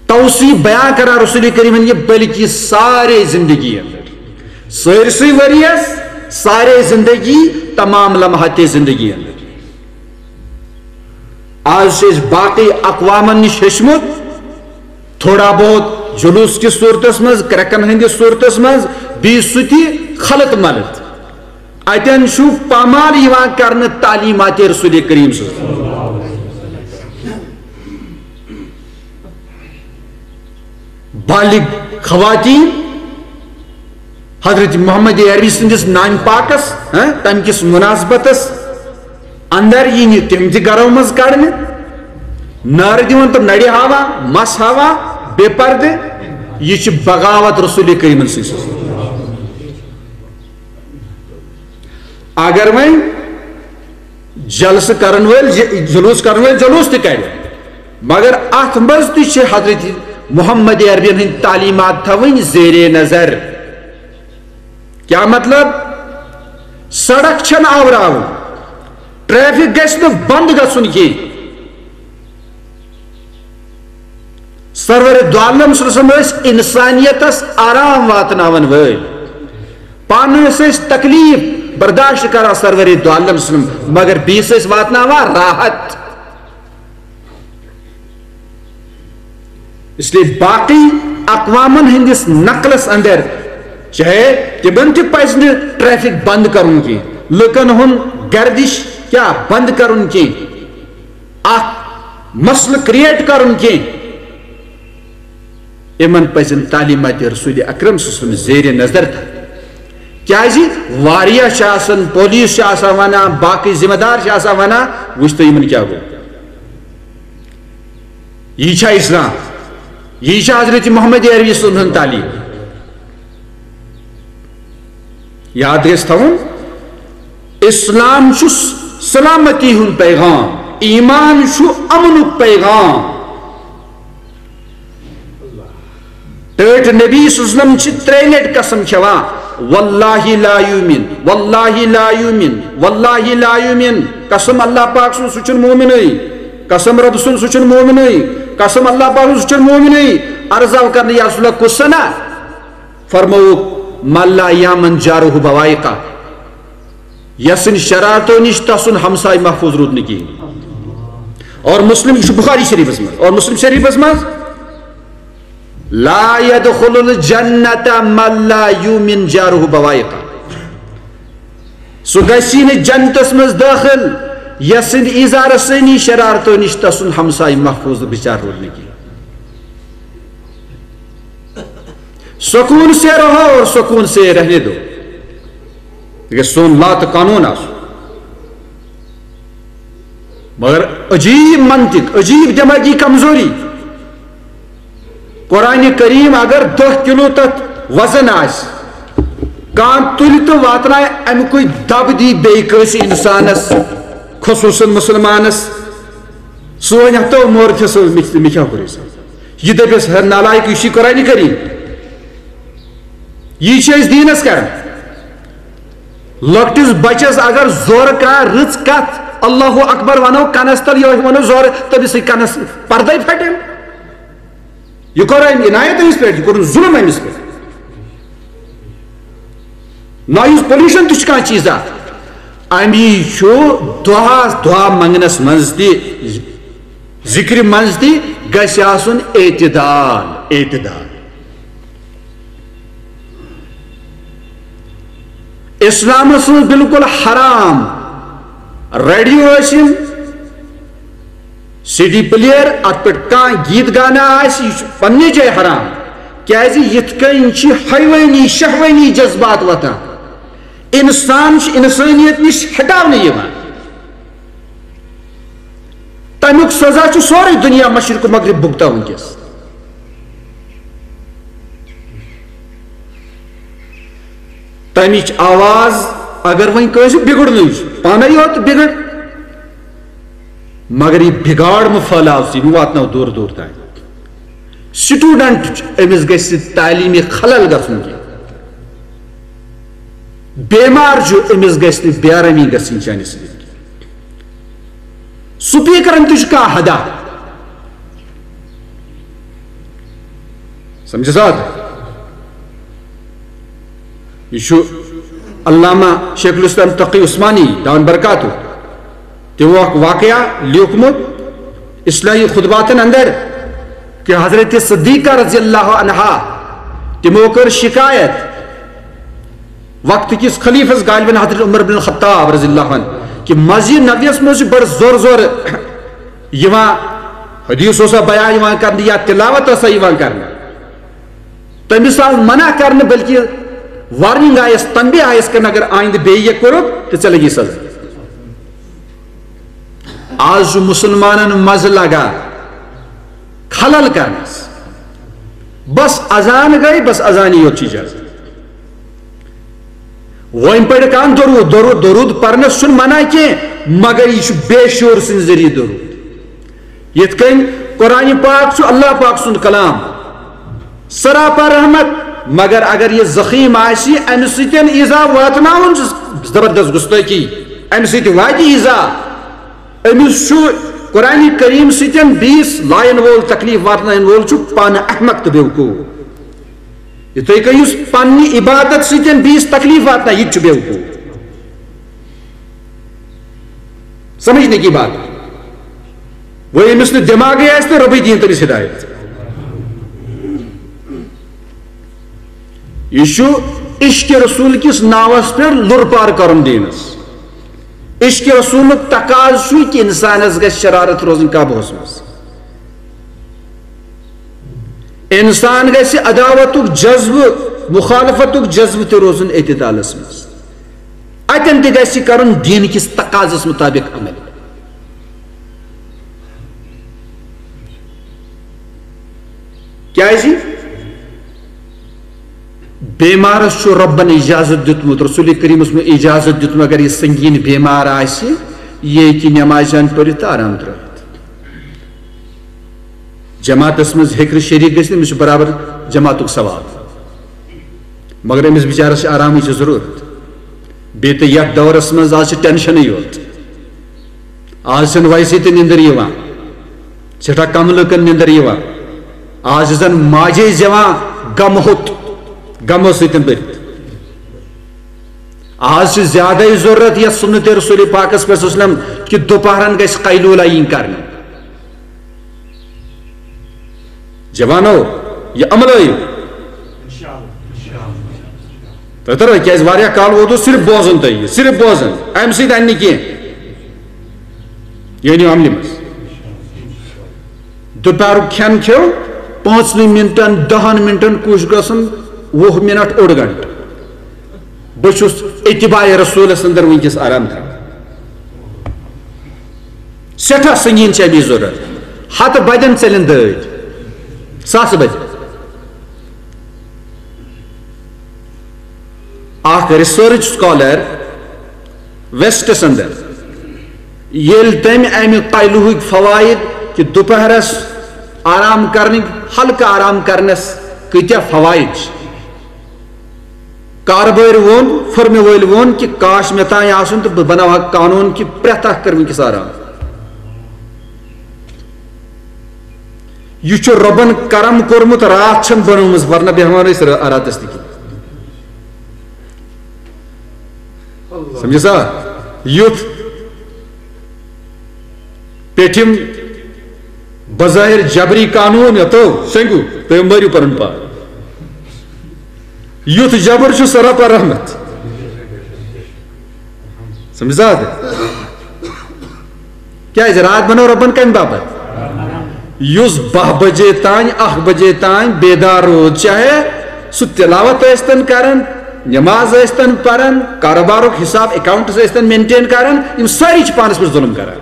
توصیف بیان کران رسول کریمن یہِ، بلکہ سارے زندگی اندر، سٲرسٕے ؤریس، سارے زندگی، تمام لمحات زندگی اندر۔ آز چھِ أسۍ باقی اقوامن نِش ہیٚچھمُت، تھوڑا بہت جلوس کِس صورتس منٛز، کرٛٮ۪کن ہٕنٛدِس صورتس منٛز، بیٚیہِ سُہ تہِ خلط ملط۔ اتٮ۪ن چھُ پامال یِوان کرنہٕ تعلیمات رسول کریم صلی اللہ علیہ وسلم۔ بالغ خواتین حضرت محمد عربی سٕنٛدِس نانہِ پاکس، ہاں، تمہِ کِس مناسبتس اندر یی نہٕ تِم تہِ گرو منٛز کڑنہٕ، نارٕ دِوان تہٕ نرِ ہاوان، مس ہاوان، بے پردٕ۔ یہِ چھِ بغاوت رسول کریمن سٕنٛز۔ اگر وۄنۍ جلسہٕ کرن وٲلۍ، ج-، جلوس کرن وٲلۍ جلوس تہِ کرِ، مگر اتھ منٛز تہِ چھِ حضرت محمد عربین ہٕنٛدۍ تعلیمات تھاوٕنۍ زیر نظر۔ کیا مطلب؟ سڑک چھنہٕ آوراوٕنۍ، ٹریفک گژھِ نہٕ بند گژھُن کینٛہہ۔ سرور دو عالم صلی اللہ علیہ وسلم ٲسۍ انسانیتس آرام واتناون وٲلۍ۔ پانہٕ ٲسۍ أسۍ تکلیف برداشت کران سرور دو عالم صلی اللہ علیہ وسلم، مگر بیٚیِس ٲسۍ واتناوان راحت۔ اس لیے باقی اقوامن ہٕنٛدِس نقلس اندر چاہے تِمن تہِ پزِ نہٕ ٹریفک بند کرُن کینٛہہ، لُکن ہُنٛد گردش کیا بند کرُن کینٛہہ، اکھ مسلہٕ کریٹ کرُن کینٛہہ۔ یِمن پزن تعلیمات رسول اکرم صلی اللہ علیہ وسلم زیر نظر تھاوٕنۍ۔ کیازِ واریاہ چھِ آسان، پولیس چھِ آسان ونان، باقی ذمہ دار چھِ آسان ونان، وٕچھ تو یِمن کیٛاہ گوٚو۔ یی چھا اسلام؟ یی چھا حضرت محمد عربی صٲب سٕنٛز تعلیٖم؟ یاد گژھِ تھاوُن، اسلام چھُ سلامتی ہُنٛد پیغام، ایمان چھُ امنُک پیغام۔ ٹٲٹھۍ نبی صلی اللہ علیہ وسلم چھِ ترٛیٚیہِ لٹہِ قسم کھٮ۪وان، "واللہ لا یؤمن، واللہ لا یؤمن، واللہ لا یؤمن۔" قسم اللہ پاک سُنٛد، سُہ چھُنہٕ مومنٕے۔ قسم رۄب سُنٛد، سُہ چھُنہٕ مومنٕے۔ قسم اللہ پاک سُنٛد، سُہ چھُنہٕ مومنٕے۔ عرض آو کرنہٕ، یا رسول اللہ، کُس سنا؟ فرمووُکھ، "من لا یامن جارہ بوائقہ"، یس سٕنٛدِ شرارتو نِش تسُنٛد ہمسایہِ محفوظ روٗد نہٕ کِہیٖنۍ۔ اور مسلم، یہِ چھُ بخاری شریفس منٛز، اور مسلم شریفس منٛز، "لا یدخل الجنت من لا یؤمن جارہ بوائقہ"، سُہ گژھِ نہٕ جنتس منٛز دٲخل، یس سٕنٛدِ ایزار سٲنی شرارتو نِش تسُنٛد ہمسایہِ محفوظ بچار روٗد نہٕ کِہیٖنۍ۔ سکون سے رہو اور سکون سے رہنے دو۔ یہِ گژھِ سون لا تہٕ قانون آسُن۔ مگر عجیب منطق، عجیب دماغی کمزوری۔ قرآن کریم اگر دہ کلو تتھ وزن آسہِ، کانٛہہ تُلہِ تہٕ واتنایہِ، اَمہِ کُے دب دی بیٚیہِ کٲنٛسہِ انسانس، خصوصاً مسلمانس، سُہ وَنہِ ہتو مورتھس، مےٚ کیٛاہ کوٚر أمۍ سۭتۍ؟ یہِ دَپٮ۪س، "ہے نالایق، یہِ چھُے قرآن کریم، یی چھِ أسۍ دیٖنس کران۔" لۄکٹِس بچس اگر زورٕ کانٛہہ رٕژ کتھ، اللہ اکبر ونو کنس تل، یہِ ونو زورٕ، تٔمِس سۭتۍ کنس پردے پھٹن۔ یہِ کوٚر أمۍ عنایت أمِس پٮ۪ٹھ، یہِ کوٚرُن ظلم أمِس پٮ۪ٹھ۔ نویِز پولیوشن تہِ چھُ کانٛہہ چیٖزا۔ اَمی چھُ دُعا، دُعا منٛگنَس منٛز تہِ، ذِکرِ منٛز تہِ گژھِ آسُن اعتدال، اعتدال۔ اِسلامَس منٛز بالکل حرام ریڈیو ٲسِن، سی ڈی پلیئر، اتھ پٮ۪ٹھ کانٛہہ گیٖت گانا آسہِ، یہِ چھُ پننہِ جایہِ حرام۔ کیازِ یِتھ کٔنۍ چھِ حیوٲنی، شہوٲنی جذبات وۄتھان۔ انسان چھُ انسٲنیت نِش ہٹاونہٕ یِوان۔ تَمیُک سزا چھُ سورُے دُنیا مشرق و مغرب بھُگتان وٕنکیٚس۔ تَمِچ آواز اگر وۄنۍ کٲنٛسہِ بِگڑنٕے چھُ، پانے یوت بِگڑ، مگر یہِ بِگاڑ مہٕ پھٲلاو ژٕ، یہِ مہٕ واتناو دوٗر دوٗر تام۔ سٹوڈنٹ چھُ، أمِس گژھِ تعلیٖمی خلل گژھُن کینٛہہ۔ بیمار چھُ، أمِس گژھِ نہٕ بے آرٲمی گژھٕنۍ چانہِ سۭتۍ۔ سپیکرن تہِ چھُ کانٛہہ حدا۔ سمجھِ سا؟ یہِ چھُ علامہ شیخ الاسلام تقی عثمانی دامن برکاتہ، تِمو اکھ واقعہ لیوٗکھمُت اصلاحی خطباتن اندر کہ حضرت صدیقہ رضی اللہ عنہا، تِمو کٔر شکایت وقت کِس خلیفس غالباً حضرت عمر بن الخطاب رضی اللہ عنہ کہ مسجد نبویس منٛز چھُ بڑٕ زور زور یِوان، حدیث اوسا بیان یِوان کرنہٕ یا تلاوت ٲسا یِوان کرنہٕ۔ تٔمِس آو منع کرنہٕ، بلکہ وارننگ آیس، تنبیہ آیس کرنہٕ، اگر آیندٕ بیٚیہِ یہِ کوٚرُکھ تہٕ ژےٚ لگی سزا۔ آز چھُ مسلمانن مزٕ لگان خلل کرنس۔ بس اذان گٔے، بس اذانی یوت چھِ اجازت۔ وۄنۍ پرِ کانٛہہ درود، درود، درود پرنس چھُنہٕ منع کینٛہہ، مگر یہِ چھُ بے شعور سٕنٛدِ ذٔریعہٕ درود۔ یِتھ کٔنۍ قرآن پاک چھُ اللہ پاک سُنٛد کلام، سراپا رحمت، مگر اگر یہِ زخیٖم آسہِ، اَمہِ سۭتۍ ایٖزا واتناوُن چھُ زبردست گُستٲخی، اَمہِ سۭتۍ واتہِ ایٖزا۔ أمِس چھُ قرآن کریم سۭتۍ بیٚیِس لایَن وول، تکلیف واتناون وول چھُ پانہٕ احمق تہٕ بیوقوف۔ یِتھَے کٔنۍ یُس پننہِ عبادت سۭتۍ بیٚیِس تکلیف واتنایہِ، یہِ تہِ چھُ بیوقوف۔ سمجھنے کی بات۔ وۄنۍ ییٚمِس نہٕ دٮ۪ماغٕے آسہِ تہٕ رۄبٕے دِیِن تٔمِس ہدایت۔ یہِ چھُ عشق رسول کِس ناوس پٮ۪ٹھ لُر پار کرُن دیٖنس۔ عشق رسولُک تقاضہٕ چھُ کہِ انسانس گژھِ شرارت روزٕنۍ قابوٗہس منٛز۔ انسان گژھِ عداوتُک جذبہٕ، مخالفتُک جذبہٕ تہِ روزُن اعتدالس منٛز۔ اتٮ۪ن تہِ گژھِ کرُن دیٖن کِس تقاضس مطابق عمل۔ کیازِ؟ بیمارس چھُ رۄبن اجازت دیُتمُت، رسول کریمس منٛز اجازت دیُتمُت، اگر یہِ سنگین بیمار آسہِ، یہِ ہیٚکہِ نماز جان پٔرِتھ تہٕ آرام ترٲوِتھ۔ جماعتس منٛز ہیٚکہِ نہٕ شریٖک گٔژھِتھ، أمِس چھُ برابر جماعتُک ثواب۔ مگر أمِس بِچارس چھِ آرامٕچ ضروٗرت۔ بیٚیہِ تہِ یتھ دورس منٛز آز چھِ ٹینشنٕے یوت۔ آز چھنہٕ ویسے تہِ نِندٕر یِوان، سٮ۪ٹھاہ کم لُکن نِندٕر یِوان۔ آز چھِ زن ماجے زٮ۪وان غمہٕ ہوٚت، غمو سۭتۍ بٔرِتھ۔ آز چھِ زیادَے ضروٗرت یَتھ سُنت رسول پاکس پٮ۪ٹھ صلی اللہ علیہ وسلم کہِ دُپہرن گژھِ قیلوٗلہ یِنۍ کرنہٕ۔ جوانو، یہِ عملٲیِو۔ تۄہہِ ترو، کیازِ واریاہ کال ووتُس صرف بوزُن تۄہہِ یہِ، صرف بوزُن، اَمہِ سۭتۍ اَنہِ نہٕ کینٛہہ۔ یہِ أنِو عملہِ منٛز۔ دُپہرُک کھٮ۪ن کھیو، پانٛژنٕے مِنٹن، دَہن مِنٹن کوٗشِش گژھُن، وُہ مِنٹ، اوٚڑ گنٹہٕ۔ بہٕ چھُس اتباع رسولس اندر وٕنکیٚس آرام تھاوان۔ سٮ۪ٹھاہ سنگیٖن چھِ اَمِچ ضروٗرت۔ ہتہٕ بجن ژٔلِن دٲدۍ، ساسہٕ بجن۔ اکھ ریسرچ سکالر ویسٹس اندر، ییٚلہِ تٔمۍ امہِ قیلوہٕکۍ فوائد کہِ دُپہرس آرام کرنٕکۍ، ہلکہٕ آرام کرنس کۭتیاہ فوائد چھِ، کاربٲرۍ ووٚن، فرمہِ وٲلۍ ووٚن کہِ کاش مےٚ تام آسُن تہٕ بہٕ بناوہا قانوٗن کہِ پرٛٮ۪تھ اکھ کر وٕنکیٚس آرام۔ یہِ چھُ رۄبن کرم کوٚرمُت، راتھ چھَنہٕ بنٲومٕژ، ورنہ بیٚہوان ٲسۍ را-، راتس تہِ کِہیٖنۍ۔ سمجھِ سا؟ یُتھ پیٚٹھِم بظاہر جبری قانوٗن یتو سنگو، تُہۍ مٲرِو پنُن پان۔ یُتھ جبر چھُ سۄ رۄب رحمت۔ سمجھِ سا؟ کیازِ راتھ بنٲو رۄبن کمہِ باپتھ؟ یُس باہ بجے تام، اکھ بجے تام بیدار روٗد، چاہے سُہ تلاوت ٲسۍتن کران، نماز ٲسۍتن پران، کاروبارُک حساب، اکاؤنٹس ٲسۍتن مینٹین کران، یِم سٲری چھِ پانس پٮ۪ٹھ ظلم کران۔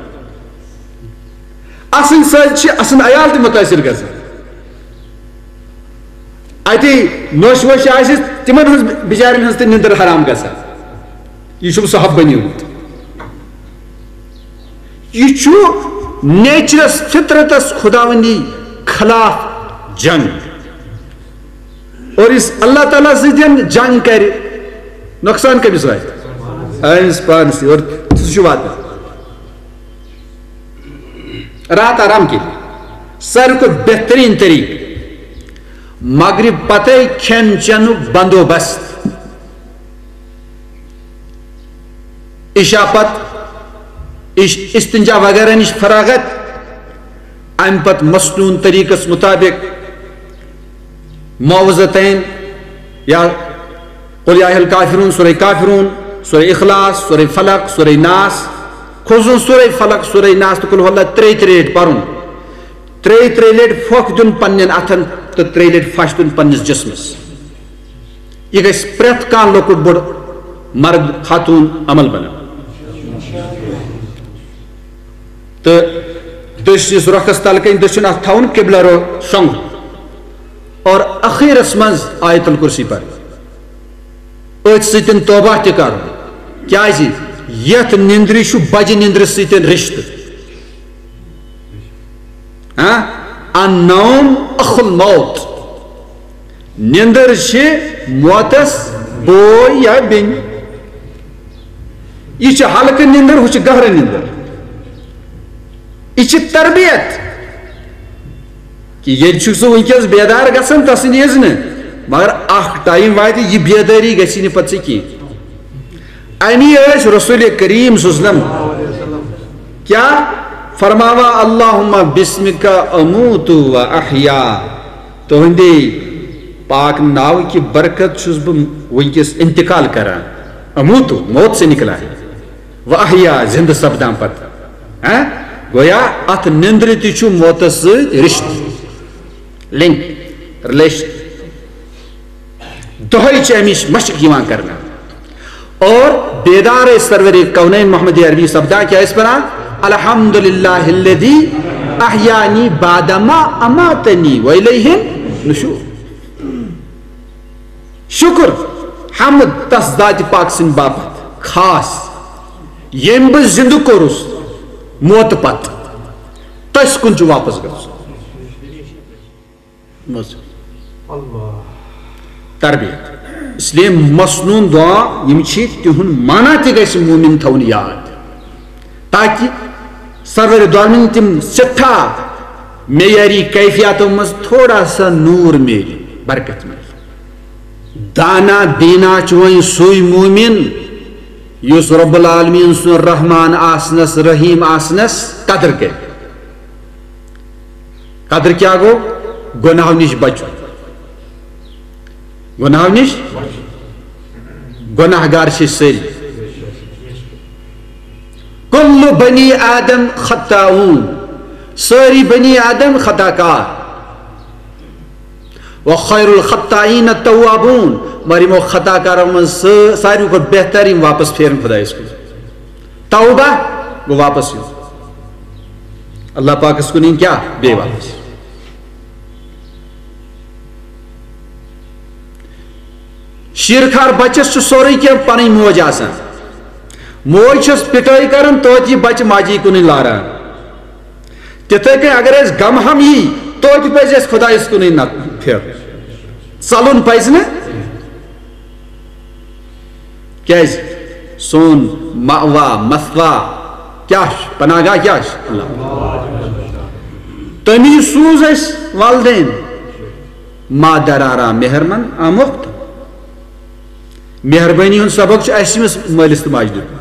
اسٕنٛدۍ سۭتۍ چھِ اسٕنٛدۍ عیال تہِ مُتٲثر گژھان۔ اتے نوٚش ووٚش آسہِ، تِمن ہٕنٛز، بِچارٮ۪ن ہٕنٛز تہِ نِندٕر حرام گژھان۔ یہِ چھُم سُہ حب بنیومُت۔ یہِ چھُ نیچرس، فطرتس، خداوندی خلاف جنگ۔ اور یُس اللہ تعالیٰ سۭتۍ جنگ کرِ، نۄقصان کٔمِس واتہِ؟ أمِس پانس تہِ۔ اور سُہ چھُ واتان۔ راتھ آرام کٔرِتھ۔ ساروی کھۄتہٕ بہتریٖن طریٖقہٕ، مغرب پتے کھٮ۪ن چٮ۪نُک بندوبست۔ عشاء پتہٕ اِش-، استنجا وغیرہ نِش فراغت، امہِ پتہٕ مسنون طریٖقس مُطابق معوذتین یا قل یا ایھا الکافرون، سورہ کافرون، سورہ اخلاص، سورہ فلق، سورہ ناس، کھوژُن سورہ فلق، سورہ ناس تہٕ قل ھو اللہ ترٛیٚیہِ ترٛیٚیہِ لٹہِ پرُن۔ ترٛیٚیہِ ترٛیٚیہِ لٹہِ پھۄکھ دیُن پننٮ۪ن اتھن تہٕ ترٛیٚیہِ لٹہِ پھش دیُن پننِس جسمس۔ یہِ گژھِ پرٛٮ۪تھ کانٛہہ لۄکُٹ بوٚڑ مرد خاتون عمل بناوُن۔ تہٕ دٔچھنِس رۄخس تل کَنۍ دٔچھُن اَتھ تھاوُن قبلہ رو شۄنٛگُن۔ اور ٲخرس منٛز آیت الکرسی پرٕنۍ۔ أتھۍ سۭتۍ توبہ تہِ کرُن۔ کیازِ؟ یتھ نِندرِ چھُ بجہِ نِندرِ سۭتۍ رشتہٕ۔ ہاں؟ النوم اخ الموت۔ نِندٕر چھِ موتس بوے یا بیٚنہِ۔ یہِ چھِ ہلکہٕ نِندٕر، ہُہ چھِ گہرٕ نِندٕر۔ یہِ چھِ تربیت کہِ ییٚلہِ چھُکھ ژٕ وٕنکیٚس بیدار گژھان تسٕنٛدِ اذنہٕ، مگر اکھ ٹایم واتہِ، یہِ بیدٲری گژھِ نہٕ پتہٕ ژےٚ کینٛہہ۔ امی ٲسۍ رسول کریم صلی اللہ علیہ وسلم کیا فرماوا، اللہم بسمک اموت و احیا، تہندے پاک ناو کی برکت چھُس بہٕ وٕنکیٚس انتقال کران۔ اموت، موت سے نکلا ہے، و احیا، زندٕ سپدان پتہٕ۔ ہاں؟ گویا اتھ نندرِ تہِ چھُ موتس سۭتۍ رشتہٕ، لنک، ریلیشن۔ دۄہے چھِ اَمِچ مشق یِوان کرنہٕ۔ اور بیدار ٲسۍ سرور کونین محمد عربی سپدان، کیٛاہ ٲسۍ پران؟ الحمدللہ الذی احیانی بعدما اماتنی و الیہ النشور۔ شکر، حمد تس ذاتِ پاک سٕنٛدِ باپتھ خاص، ییٚمۍ بہٕ زِندٕ کوٚرُس موتہٕ پتہٕ۔ تٔسۍ کُن چھُ واپس گژھُن۔ منٛز تربیت۔ اس لیے مسنون دعا، یِم چھِ، تِہُنٛد معنی تہِ گژھِ مومن تھاوُن یاد، تاکہِ سرور دعالمین تِم سٮ۪ٹھاہ معیاری کیفیاتو منٛز تھوڑا سا نور میلہِ، برکت میلہِ۔ دانا دینا چھُ وۄنۍ سُے مومن یُس رب العالمین سُنٛد رحمان آسنس، رحیم آسنس قدر کرِ۔ قدر کیٛاہ گوٚو؟ گۄناہو نِش بچُن۔ گۄناہو نِش؟ گۄناہ گار چھِ أسۍ سٲری۔ کل بنی آدم خطاؤن، سٲری بنی آدم خطا کار۔ وخیر الخطائین التوابون، مگر یِمو خطا کارو منٛز سا-، ساروی کھۄتہٕ بہتر یِم واپس پھیرن خۄدایس کُن۔ توبہ گوٚو واپس یُن۔ اللہ پاکس کُن یِن کیٛاہ؟ بیٚیہِ واپس۔ شیٖرخار بچس چھُ سورُے کینٛہہ پنٕنۍ موج آسان۔ موج چھس پٹٲے کران، توتہِ یہِ بچہٕ ماجی کُنُے لاران۔ تِتھے کٔنۍ اگر اَسہِ غم ہم یی، توتہِ پزِ اَسہِ خۄدایس کُنُے نظر پھیرُن۔ ژلُن پزِ نہٕ۔ کیازِ؟ سون مأوا، مثوا کیٛاہ چھُ؟ پناہ گاہ کیٛاہ چھُ؟ اللہ۔ تٔمی سوٗز اَسہِ والدین۔ مادر آرا مہرمن آموخت۔ مہربٲنی ہُنٛد سبق چھُ اَسہِ أمِس مٲلِس تہٕ ماجہِ دیُتمُت۔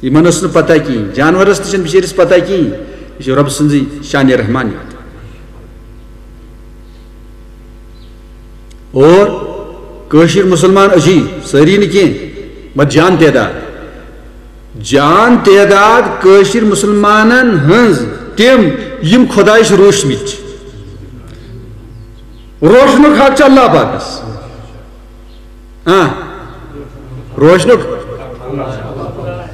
یِمن ٲس نہٕ پتہ کِہیٖنۍ، جانورس تہِ چھنہٕ بِچٲرِس پتہ کِہیٖنۍ۔ یہِ چھُ رب سٕنٛزٕے شانِ رحمانیت۔ اور کٲشِر مُسلمان أسی سٲری نہٕ کینٛہہ، مگر جان تعداد، جان تعداد کٲشِر مُسلمانن ہٕنٛز تِم، یِم خۄدایَس روٗسمٕتۍ چھِ۔ روشنُک حق چھُ اللہ پاکس۔ آ، روشنُک۔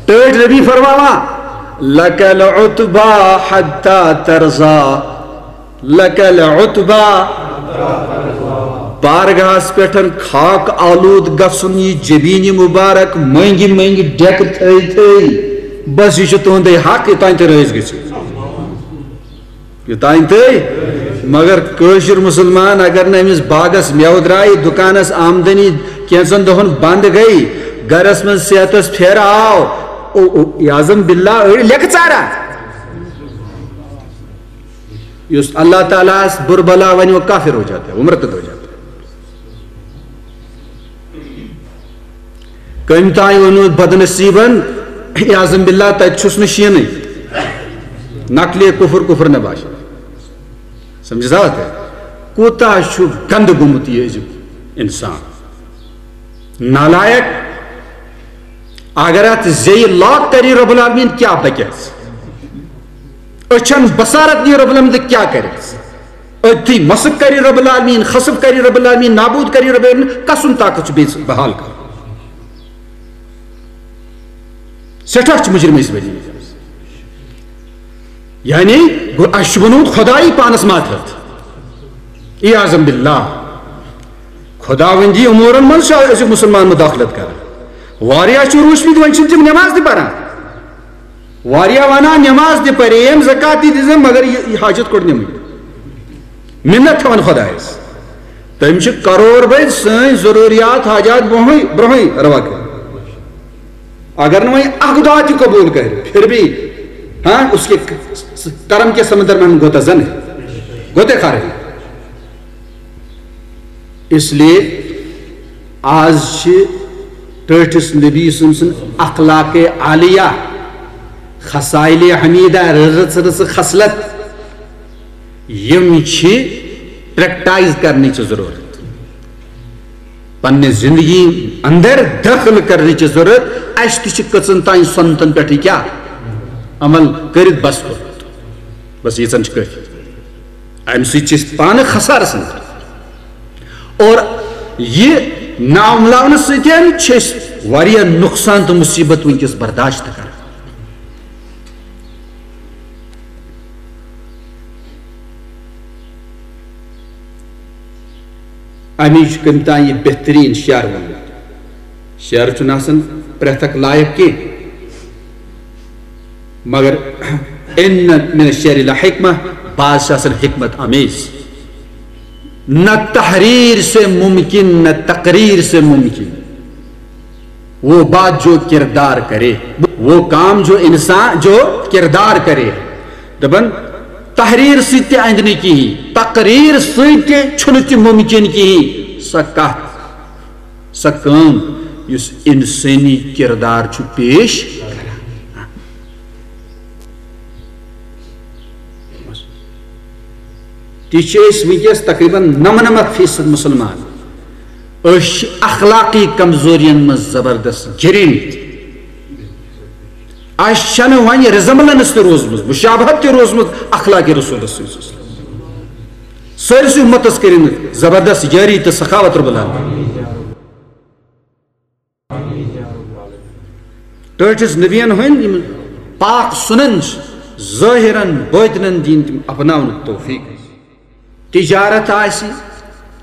ٹٲٹھۍ ربی فرماوان، لک العتبی حتی ترضی، لک العتبی۔ بارگاہس پٮ۪ٹھ خاک آلود گژھُن، یہِ جبین مبارک مٔنگۍ مٔنگۍ ڈیکہٕ تھٲے تھٲے، بس یہِ چھُ تُہُندے حق، یوٚتام تُہۍ رٲضۍ گٔژھِو۔ یوٚتام تُہۍ، مگر کٲشِر مُسلمان اگر نہٕ أمِس باغس مٮ۪وٕ درٛایہِ، دُکانس آمدنی کینٛژن دۄہن بنٛد گٔے، گرس منٛز صحتس پھیرٕ آو، او، او، یعظم باللہ، أڑۍ لیکھٕ ژارا۔ یُس اللہ تعالیٰ ہس بُرٕ بلا ونہِ، وہ کافر ہو جاتا ہے، وہ مرتد ہو جاتا ہے۔ کٔمۍ تام ووٚنمُت بدنصیٖبن، عیاذم باللہ، تتہِ چھُس نہٕ شیٖنٕے۔ نقلے کفر، کفر نہ باشد۔ سمجھ آو تۄہہِ؟ کوٗتاہ چھُ گنٛدٕ گوٚمُت یہِ أزیُک انسان۔ نالایق۔ اگر اتھ زیٚیہِ لاک کری رب العالمین، کیٛاہ بکیس؟ أچھن بصارت نی رب العالمین تہٕ کیٛاہ کرِ؟ أتھی مسخ کری رب العالمین، خسف کری رب العالمین، نابود کری رب العالمین، کسُن طاقت چھُ بیٚیہِ بحال کرُن؟ سٮ۪ٹھاہ چھِ مُجرِم أسۍ بٔنۍ مٕتۍ۔ یعنی گوٚو اَسہِ چھُ بنومُت خۄدایی پانس ماتحت۔ عیاذم باللہ۔ خۄداوندی امورن منٛز چھُ أزیُک مُسلمان مداخلت کران۔ واریاہ چھِ روٗسمٕتۍ، وۄنۍ چھِنہٕ تِم نٮ۪ماز تہِ پران۔ واریاہ ونان نٮ۪ماز تہِ پریم، زکات تہِ دِژم، مگر یہِ، یہِ حاجت کوٚڑ نِمٕے۔ منت تھاوان خۄدایس۔ تٔمۍ چھِ کرور بٔدۍ سٲنۍ ضروٗریات حاجات برونٛہٕے، برونٛہٕے روا کٔرِتھ۔ اگر نہٕ وۄنۍ اکھ دعا تہِ قبول کرِ، پھر بھی، ہاں، اس کے کرم کے سمندر میں ہم غوطہ زن ہے، غوطے خار ہے۔ اس لیے آز چھِ ٹٲٹھِس نبی سٕنٛز اخلاق عالیہ، خصائل حمیدہ، رٕژ رٕژ خصلت، یِم چھِ پریکٹائز کرنٕچ ضروٗرت، پننہِ زندگی اندر دٲخل کرنٕچ ضروٗرت۔ اَسہِ تہِ چھِ کٔژن تام سنتن پٮ۪ٹھ یہِ کیٛاہ عمل کٔرِتھ بس کوٚرمُت، بس ییٖژن چھِ کٲفی۔ امہِ سۭتۍ چھِ أسۍ پانہٕ خسارس اندر۔ اور یہِ ناو مِلاونہٕ سۭتۍ چھِ أسۍ واریاہ نۄقصان تہٕ مُصیٖبت وٕنکیٚس برداشت کران۔ امی چھُ کٔمۍ تام یہِ بہتریٖن شعر ووٚنمُت۔ شعر چھُنہٕ آسان پرٛٮ۪تھ اکھ لایق کینٛہہ، مگر ان من الشعر لحکمہ، بعض چھِ آسان حکمت آمیز۔ نہ تحریر سے ممکن، نہ تقریر سے ممکن۔ وہ بات جو کردار کرے، وہ کام جو انسان جو کردار کرے۔ دپان، تحریر سۭتۍ تہِ اندِ نہٕ کِہیٖنۍ، تقریر سۭتۍ تہِ چھُنہٕ تہِ ممکن کِہیٖنۍ۔ سۄ کتھ، سۄ کٲم یُس انسٲنی کردار چھُ پیش کران۔ تہِ چھِ أسۍ وٕنکیٚس تقریباً نَمنَمَتھ فیصد مسلمان۔ أسۍ چھِ اخلاقی کمزورین منٛز زبردست گِرے مٕتۍ۔ اَسہِ چھَنہٕ وۄنۍ ریزمبلنس تہِ روٗزمٕژ، مشابہت تہِ روٗزمٕژ اخلاقی رسولس سۭتۍ۔ سٲرسٕے اُمتس کٔرِن زبردست یٲری تہٕ سخاوت رب العالمین۔ ٹٲٹھِس نبین ہٕنٛدۍ یِم پاک سُنن چھِ، ظٲہِرن باطنن دِن تِم اپناونُک توفیق۔ تجارت آسہِ،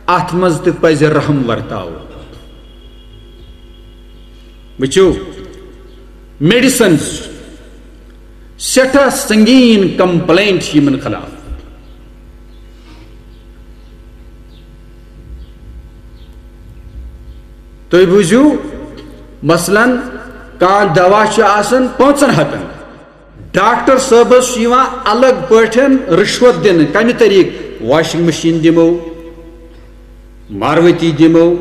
اتھ منٛز تہِ پزِ رحم ورتاوُن۔ وٕچھِو، میڈیسنز، سٮ۪ٹھاہ سنگین کمپلینٹ چھِ یِمن خلاف۔ تُہۍ بوٗزِو، مثلاً، کانٛہہ دوا چھُ آسان پانٛژن ہتن، ڈاکٹر صٲبس چھُ یِوان الگ پٲٹھۍ رشوت دِنہٕ۔ کمہِ طریقہٕ؟ واشنگ مشین دِمو، ماروتی دِمو،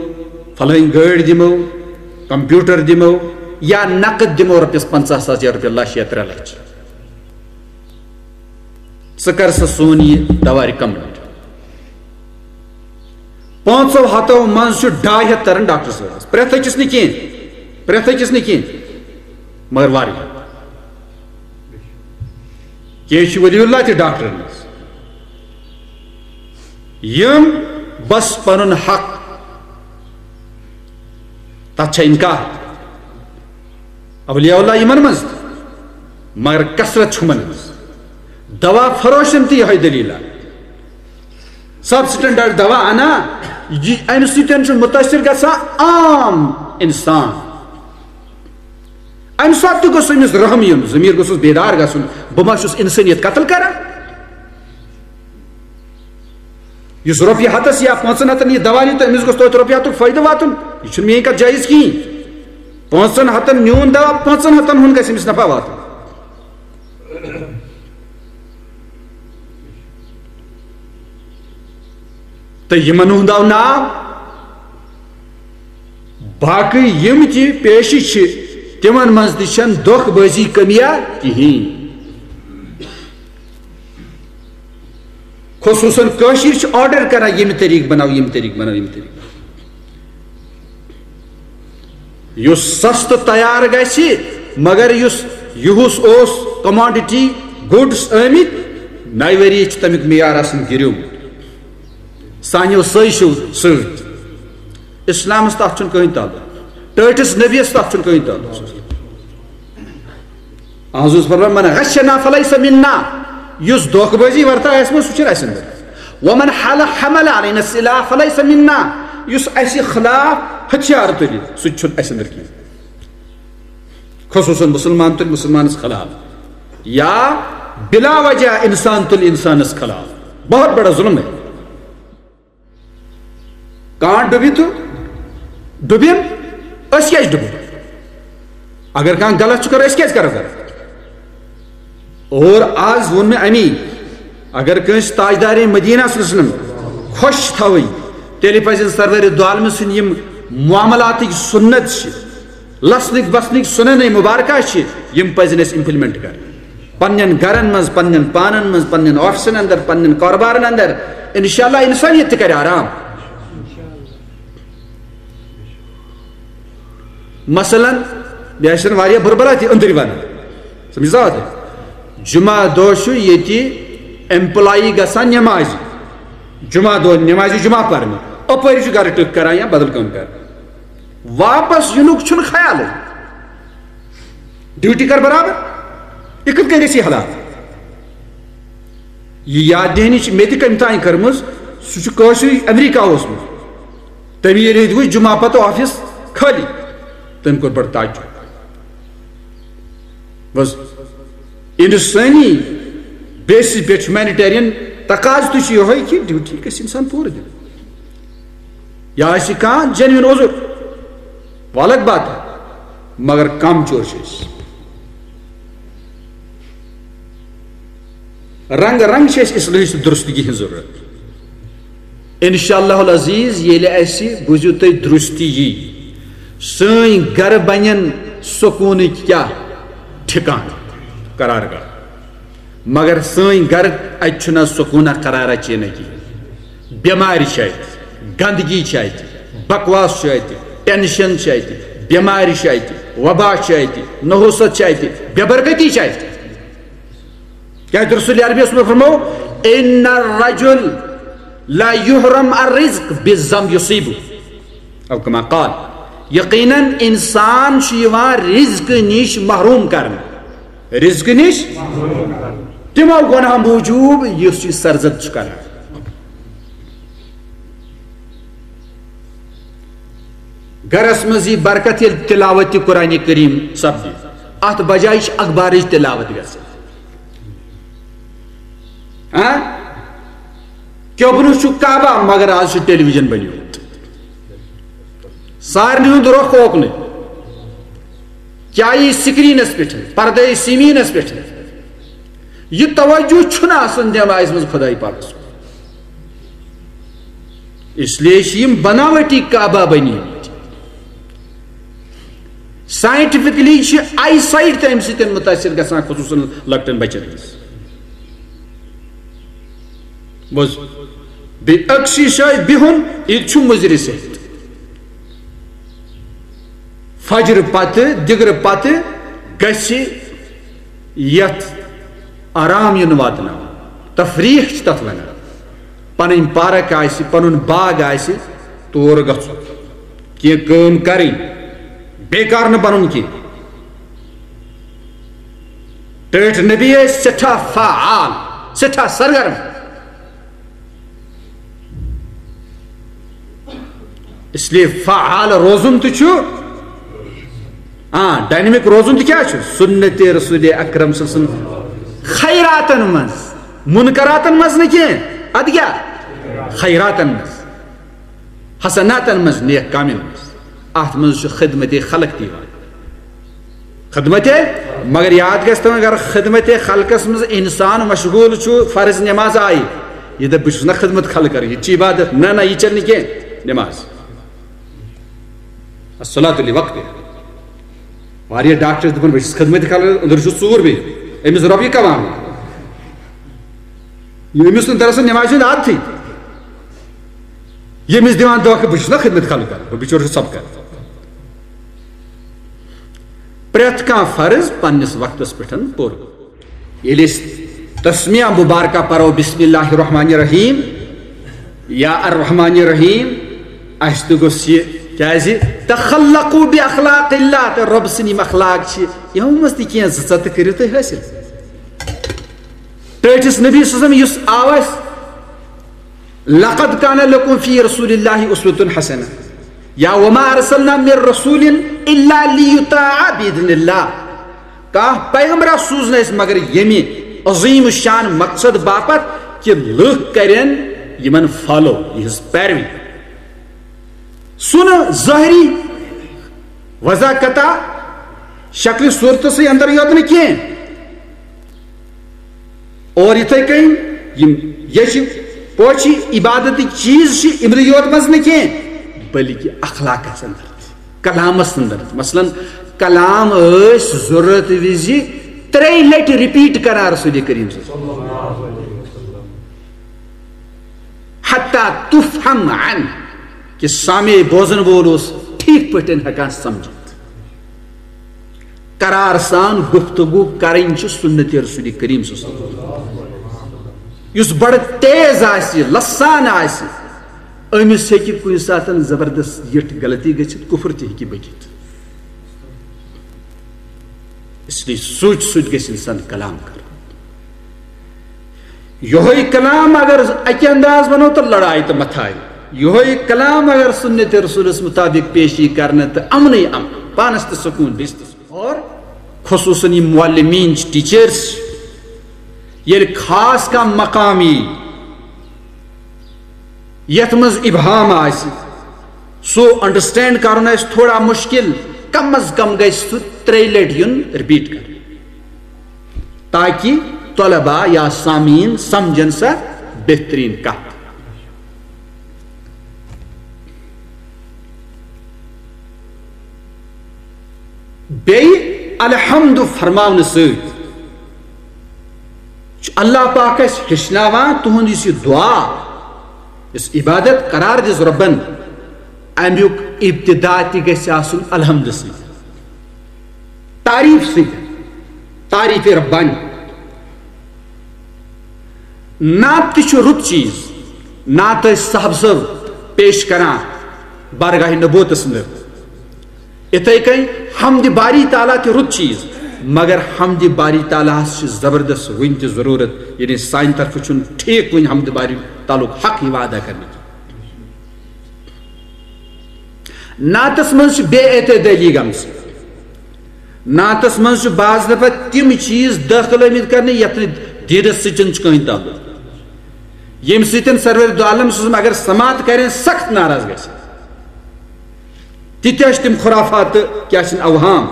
فلٲنۍ گٲڑۍ دِمو، کمپیوٹر دِمو، یا نقد دِمو رۄپیس پنژاہ ساس یا رۄپیس لچھ یا ترٛےٚ لچھ۔ ژٕ کر سا سون یہِ دوا ریکمنڈ۔ پانٛژو ہتو منٛز چھُ ڈاے ہتھ تران ڈاکٹر صٲبس، پرٛٮ۪تھ أکِس نہٕ کینٛہہ، پرٛٮ۪تھ أکِس نہٕ کینٛہہ، مگر واریاہ۔ کینٛہہ چھِ ولی اللہ تہِ ڈاکٹرن منٛز، یِم بس پنُن حق، تتھ چھا انکار؟ اولیاء اللہ یِمن منٛز تہِ، مگر کثرت چھُ یِمن منٛز۔ دوا فروشن تہِ یِہوٚے دٔلیٖلہ۔ سب سٹینڈرڈ دوا انا، یہِ، امہِ سۭتۍ چھُ مُتٲثر گژھان عام انسان۔ امہِ ساتہٕ تہِ گوٚژھ أمِس رحم یُن، ضمیٖر گوٚژھُس بیدار گژھُن، بہٕ ما چھُس انسٲنیت قتل کران؟ یُس رۄپیہِ ہتس یا پانٛژن ہتن یہِ دوا نیہِ، تہٕ أمِس گوٚژھ توتہِ رۄپیہِ ہتُک فٲیدٕ واتُن۔ یہِ چھُنہٕ میٲنۍ کتھ جٲیز کِہیٖنۍ۔ پانٛژن ہتن میون دوا، پانٛژن ہتن ہُنٛد گژھِ أمِس نفع واتُن۔ تہٕ یِمن ہُنٛد آو ناو۔ باقٕے یِم تہِ پیشہِ چھِ، تِمن منٛز تہِ چھَنہٕ دھوکہٕ بٲزی کٔمیا کِہیٖنۍ۔ خصوٗصن کٲشِر چھِ آرڈر کران، ییٚمہِ طریٖقہٕ بناو، ییٚمہِ طریٖقہٕ بناو، ییٚمہِ طریٖقہٕ بناو۔ یُس سستہٕ تیار گژھِ، مگر یُس یُہُس اوس، کموڈٹی گُڈس آمٕتۍ، نَیہِ ؤریہِ چھُ تَمیُک معیار آسان گِریومُت۔ سانیو سٲزیو سۭتۍ۔ اسلامس تتھ چھُنہٕ کٕہٕنۍ تعلق، ٹٲٹھِس نبیس تتھ چھُنہٕ کٕہٕنۍ تعلق۔ اہن حظ، فرمان، من غشنا فلیس منا، یُس دھوکہٕ بٲزی ورتا آسہِ منٛز، سُہ چھُنہٕ اَسہِ اندر۔ ومن حل حمل علینا السلاح فلیس منا، یُس اَسہِ خلاف ہتھیار تُلہِ، سُہ تہِ چھُنہٕ اَسہِ اندر کینٛہہ۔ خصوٗصاً مُسلمان تُلہِ مُسلمانس خلاف، یا بلا وجہ انسان تُلہِ انسانس خلاف، بہت بڑا ظلم ہے۔ کانٛہہ ڈُبہِ تہٕ ڈُبِن، أسۍ کیٛازِ ڈُبو؟ اگر کانٛہہ غلط چھُ کران، أسۍ کیٛازِ کرو غلط؟ اور آز ووٚن مےٚ اَمی، اگر کٲنٛسہِ تاجدارِ مدینہ صلی اللہ علیہ وسلم خۄش چھِ تھاوٕنۍ، تیٚلہِ پَزن سرورِ دو عالمہٕ سٕنٛدۍ یِم معاملاتٕکۍ سُنت چھِ، لسنٕکۍ بسنٕکۍ سُننٕے مبارکہ چھِ، یِم پَزن اَسہِ امپلمنٹ کرٕنۍ۔ پننٮ۪ن گرن منٛز، پننٮ۪ن پانن منٛز، پننٮ۪ن آفسن اندر، پننٮ۪ن کاربارن اندر، انشاءاللہ انسانیت تہِ کرِ آرام۔ مثلاً، مےٚ آسن واریاہ بُربلہ تہِ أنٛدٕرۍ ونان۔ سمجھ سا؟ جمعہ دۄہ چھُ ییٚتہِ ایمپلائی گژھان نٮ۪مازِ۔ جمعہ دۄہ نٮ۪مازِ جمعہ پرنہِ۔ اپٲرۍ چھُ گرٕ ٹٕکھ کران یا بدل کٲم کران۔ واپس یِنُک چھُنہٕ خیالٕے۔ ڈیوٹی کر برابر۔ یہِ کِتھ کٔنۍ گژھِ یہِ حالات؟ یہِ یاد دہانی چھِ مےٚ تہِ کَمہِ تانۍ کٔرمٕژ۔ سُہ چھُ کٲنٛسہِ امریکہ اوسمُت۔ تٔمۍ ییٚلہِ ییٚتہِ وٕچھ جمعہ پتہٕ آفس خٲلی، تٔمۍ کوٚر بڑٕ تعجب۔ بس، انسٲنی بیسس پٮ۪ٹھ، ہیومینیٹیرین تقاضہٕ تہِ چھُ یِہوٚے کہِ ڈیوٹی گژھِ انسان پوٗرٕ دیُن۔ یا آسہِ کانٛہہ جینوین عذر، وہ الگ بات ہے، مگر کم چور چھِ أسۍ۔ رنگ رنگ چھِ اَسہِ اصلاحٕچ تہٕ درستگی ہٕنٛز ضروٗرت۔ انشاءاللہ العزیز، ییٚلہِ اَسہِ، بوٗزِو تُہۍ، درستی یی، سٲنۍ گرٕ بنن سکوٗنٕکۍ کیٛاہ ٹھِکان، قرار گاہ۔ مگر سٲنۍ گرٕ، اَتہِ چھُنہٕ سکوٗنہ قرارہ چینہ کِہیٖنۍ۔ بٮ۪مارِ چھِ اَتہِ، گندگی چھِ اَتہِ، بکواس چھُ اَتہِ، ٹینشن چھِ اَتہِ، بٮ۪مارِ چھِ اَتہِ، وبا چھِ اَتہِ، نحوست چھِ اَتہِ، بے برکتی چھِ اَتہِ۔ کیٛازِ رسول عربی اوس فرمو، "ان الرجل لا يحرم الرزق بالذنب يصيبه"، او کما قال، یقیناً انسان چھُ یِوان رزقہٕ نِش محروم کرنہٕ، رزقہٕ نِش تِمو گۄناہو موٗجوٗب یُس یہِ سرزد چھُ کران۔ گرس منٛز یی برکت ییٚلہِ تلاوت تہِ قرآن کریم سپدِ، اتھ بجایہِ چھِ اخبارٕچ تلاوت گژھان۔ ہاں؟ کیٛوبنہٕ چھُ کعبہ، مگر آز چھُ ٹیلی ویژن بنیومُت۔ سارنٕے ہُنٛد رۄخ اوکنُے۔ کیٛاہ یی سکرینس پٮ۪ٹھ، پردے سیمینس پٮ۪ٹھ؟ یہِ توجہ چھُنہٕ آسان دٮ۪ماغس منٛز خداے پاکس کُن۔ اس لیے چھِ یِم بناوٹی کعبہ بنیمٕتۍ۔ ساینٹیفکلی چھِ آئی سائٹ تہِ اَمہِ سۭتۍ مُتٲثِر گژھان، خصوٗصاً لۄکٹٮ۪ن بچن ہٕنٛز۔ بوز، بیٚیہِ أکسٕے جایہِ بِہُن، یہِ تہِ چھُ مُضِر صحت۔ فجر پتہٕ، دِگرٕ پتہٕ گژھِ یتھ آرام یُن واتناوُن، تفریح چھِ تتھ ونان۔ پنٕنۍ پارک آسہِ، پنُن باغ آسہِ، تور گژھُن، کینٛہہ کٲم کرٕنۍ، بیکار نہٕ بنُن کینٛہہ۔ ٹٲٹھۍ نبی ٲسۍ سٮ۪ٹھاہ فعال، سٮ۪ٹھاہ سرگرم۔ اس لیے فعال روزُن تہِ چھُ، آ، ڈائنمک روزُن تہِ کیٛاہ چھُ؟ سنت رسول اکرم صلی اللہ علیہ وسلم خیراتن منٛز، منکراتن منٛز نہٕ کینٛہہ، ادٕ کیٛاہ؟ خیراتن منٛز، حسناتن منٛز، نیک کامٮ۪ن منٛز۔ اتھ منٛز چھُ خدمت خلق تہِ یِوان۔ خدمت، مگر یاد گژھِ تھاوُن، اگر خدمت خلقس منٛز انسان مشغول چھُ، فرض نماز آیہِ، یہِ دپہِ، "بہٕ چھُس نہ خدمت خلق کران، یہِ تہِ چھِ عبادت"، نہ، نہ، یہِ چلہِ نہٕ کینٛہہ نماز۔ الصلاۃ لوقت۔ واریاہ ڈاکٹر چھِ دپان، "بہٕ چھُس خدمت خلق"، أنٛدرٕ چھُ ژوٗر بیٚیہِ، أمِس رۄپیہِ کماونہِ۔ یہِ أمِس نہٕ دراصل نمازِ ہُنٛد عادتھٕے۔ ییٚمِس دِوان دھوکہٕ، بہٕ چھُس نہ خدمت خلق کران، بہٕ بِچور چھُس سبقہٕ کران۔ پرٛٮ۪تھ کانٛہہ فرض پننِس وقتس پٮ۪ٹھ پوٗرٕ۔ ییٚلہِ أسۍ تسمیہ مبارکہ پرو، بسم اللہ الرحمن الرحیم یا الرحمن الرحیم، اَسہِ تہِ گوٚژھ یہِ، کیٛازِ، "تخلقوا باخلاق اللہ"، تہٕ رۄب سٕنٛدۍ یِم اخلاق چھِ، یِمو منٛز تہِ کینٛہہ زٕ ژۄ تہٕ کٔرِو تُہۍ حٲصِل۔ ٹٲٹھِس نبی صلی اللہ علیہ وسلم یُس آو اَسہِ، "لقد کان لکم فی رسول اللہ اسوۃ حسنہ"، یا "وما ارسلنا من رسول الا لیطاع باذن اللہ"۔ کانٛہہ پیغمبرا سوٗز نہٕ اَسہِ مگر ییٚمہِ عظیم شان مقصد باپتھ کہِ لُکھ کرن یِمن فالو، یِہنٛز پیروی۔ سُہ نہٕ ظٲہری وضاحت شکلہِ صورتہٕ سۭتۍ اندر یوت نہٕ کینٛہہ، اور یِتھے کٔنۍ یِم یہِ چھِ پوچھِ عبادتٕکۍ چیٖز چھِ یِمنٕے یوت منٛز نہٕ کینٛہہ، بلکہِ اخلاقس اندر تہِ، کلامس اندر تہِ۔ مثلاً، کلام ٲسۍ ضرورت وِزِ ترٛیٚیہِ لٹہِ رِپیٖٹ کران رسول کریم صلی اللہ علیہ وسلم۔ حتیٰ تفہم عنہ، کہ سامع بوزن وول اوس ٹھیک پٲٹھۍ ہٮ۪کان سمجھِتھ۔ قرار سان گفتگو کرٕنۍ چھِ سنت رسول کریم صلی اللہ علیہ وسلم۔ یُس بڑٕ تیز آسہِ، لسان آسہِ، أمِس ہیٚکہِ کُنہِ ساتہٕ زبردست یِٹھ غلطی گٔژھِتھ، کفر تہِ ہیٚکہِ بٔکِتھ۔ اس لیے سوچ سوچ گژھِ انسان کلام کرُن۔ یہوے کلام اگر اکہِ انداز ونو تو لڑائی تو متھائی۔ یہوے کلام اگر سنت رسولس مطابق پیش یی کرنہٕ تو امنٕے امن، پانس تہِ سکون، بیٚیِس تہِ سکون۔ اور خصوصاً یِم معلمین چھِ، teachers، ییٚلہِ خاص کانٛہہ مقام یی، یتھ منٛز ابہام آسہِ، سُہ انڈرسٹینڈ کرُن آسہِ تھوڑا مشکل، کم از کم گژھِ سُہ ترٛیٚیہِ لٹہِ یُن رِپیٖٹ کرُن، تاکہِ طلبا یا سامعیٖن سمجھن سۄ بہتریٖن کتھ۔ بیٚیہِ الحمد فرماونہٕ سۭتۍ چھُ اللہ پاک اَسہِ ہیٚچھناوان تُہُنٛد یُس یہِ دعا، یُس عبادت قرار دِژ رۄبن، اَمیُک ابتدا تہِ گژھِ آسُن الحمد سۭتۍ، تعریٖف سۭتۍ، تعریٖف ربانی۔ نعت تہِ چھُ رُت چیٖز، نعت ٲسۍ صاحب صٲب پیش کران بارگاہ نبوتس اندر۔ اِتھَے کٔنۍ حمدِ باری تعالیٰ تہِ رُت چیٖز، مگر حمدِ باری تعالیٰ ہس چھِ زبردست وٕنہِ تہِ ضروٗرت، یعنی سانہِ طرفہٕ چھُنہٕ ٹھیٖک وٕنہِ حمدِ باری تعالیٰ ہُک حق یِوان ادا کرنہٕ کینٛہہ۔ نعتس منٛز چھِ بے اعتدٲلی گٔمٕژ۔ نعتس منٛز چھِ بعض دفعہ تِم چیٖز دٲخل آمٕتۍ کرنہٕ یتھ نہٕ دیٖنس سۭتۍ چھُ کٕہٕنۍ تعلق، ییٚمہِ سۭتۍ سرور دو عالم صلی اللہ علیہ وسلم اگر سماعت کرن سخت ناراض گژھِ۔ تِتہِ ٲسۍ تِم خرافات تہٕ کیٛاہ چھِن اوہام۔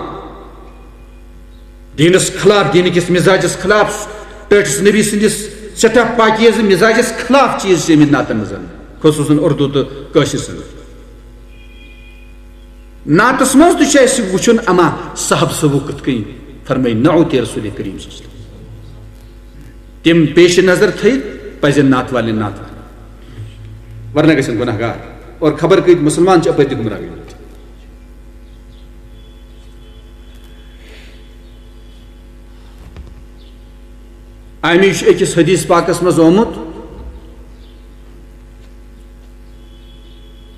دیٖنس خلاف، دیٖنہٕ کِس مزاجس خلاف، ٹٲٹھِس نبی سٕنٛدِس سٮ۪ٹھاہ پاکیزٕ مزاجس خلاف چیٖز چھِ آمٕتۍ نعتن منٛز، خصوٗصن اردو تہٕ کٲشِر سٕنٛدۍ۔ نعتس منٛز تہِ چھُ اَسہِ وٕچھُن اما صاحب صٲبو کِتھ کٔنۍ فرمٲے نعوت رسول کریم صلی اللہ علیہ وسلم۔ تِم پیش نظر تھٲیِتھ پزن نعت والٮ۪ن نعت ورنہ گژھن گناہ گار اور خبر کۭتۍ مسلمان چھِ اپٲرۍ تہِ گمراہ گٔمٕتۍ۔ اَمِچ أکِس حدیث پاکس منٛز آمُت،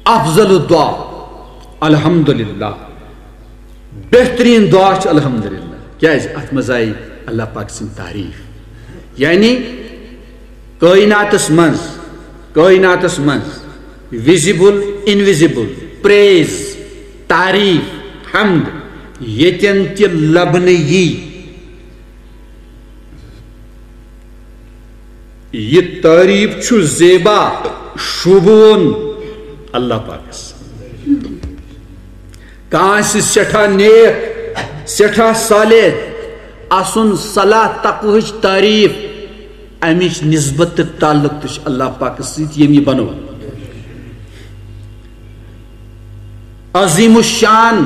افضل الدعا الحمدللہ، بہترین دعا چھُ الحمدللہ۔ کیازِ؟ اتھ منٛز آیہِ اللہ پاک سٕنٛز تعریٖف، یعنی کائناتس منٛز، کائناتس منٛز ویزیبل، انویزیبل، پریز، تعریٖف، حمد ییٚتٮ۪ن تہِ لبنہٕ یی، یہِ تعریٖف چھُ زیبا، شوٗبوُن اللہ پاکس۔ کانٛہہ آسہِ سٮ۪ٹھاہ نیک، سٮ۪ٹھاہ صالح، آسُن صلاح تقوہٕچ تعریٖف، امِچ نسبت تہٕ تعلق تہِ چھُ اللہ پاکس سۭتۍ، ییٚمۍ یہِ بنوو۔ عظیم الشان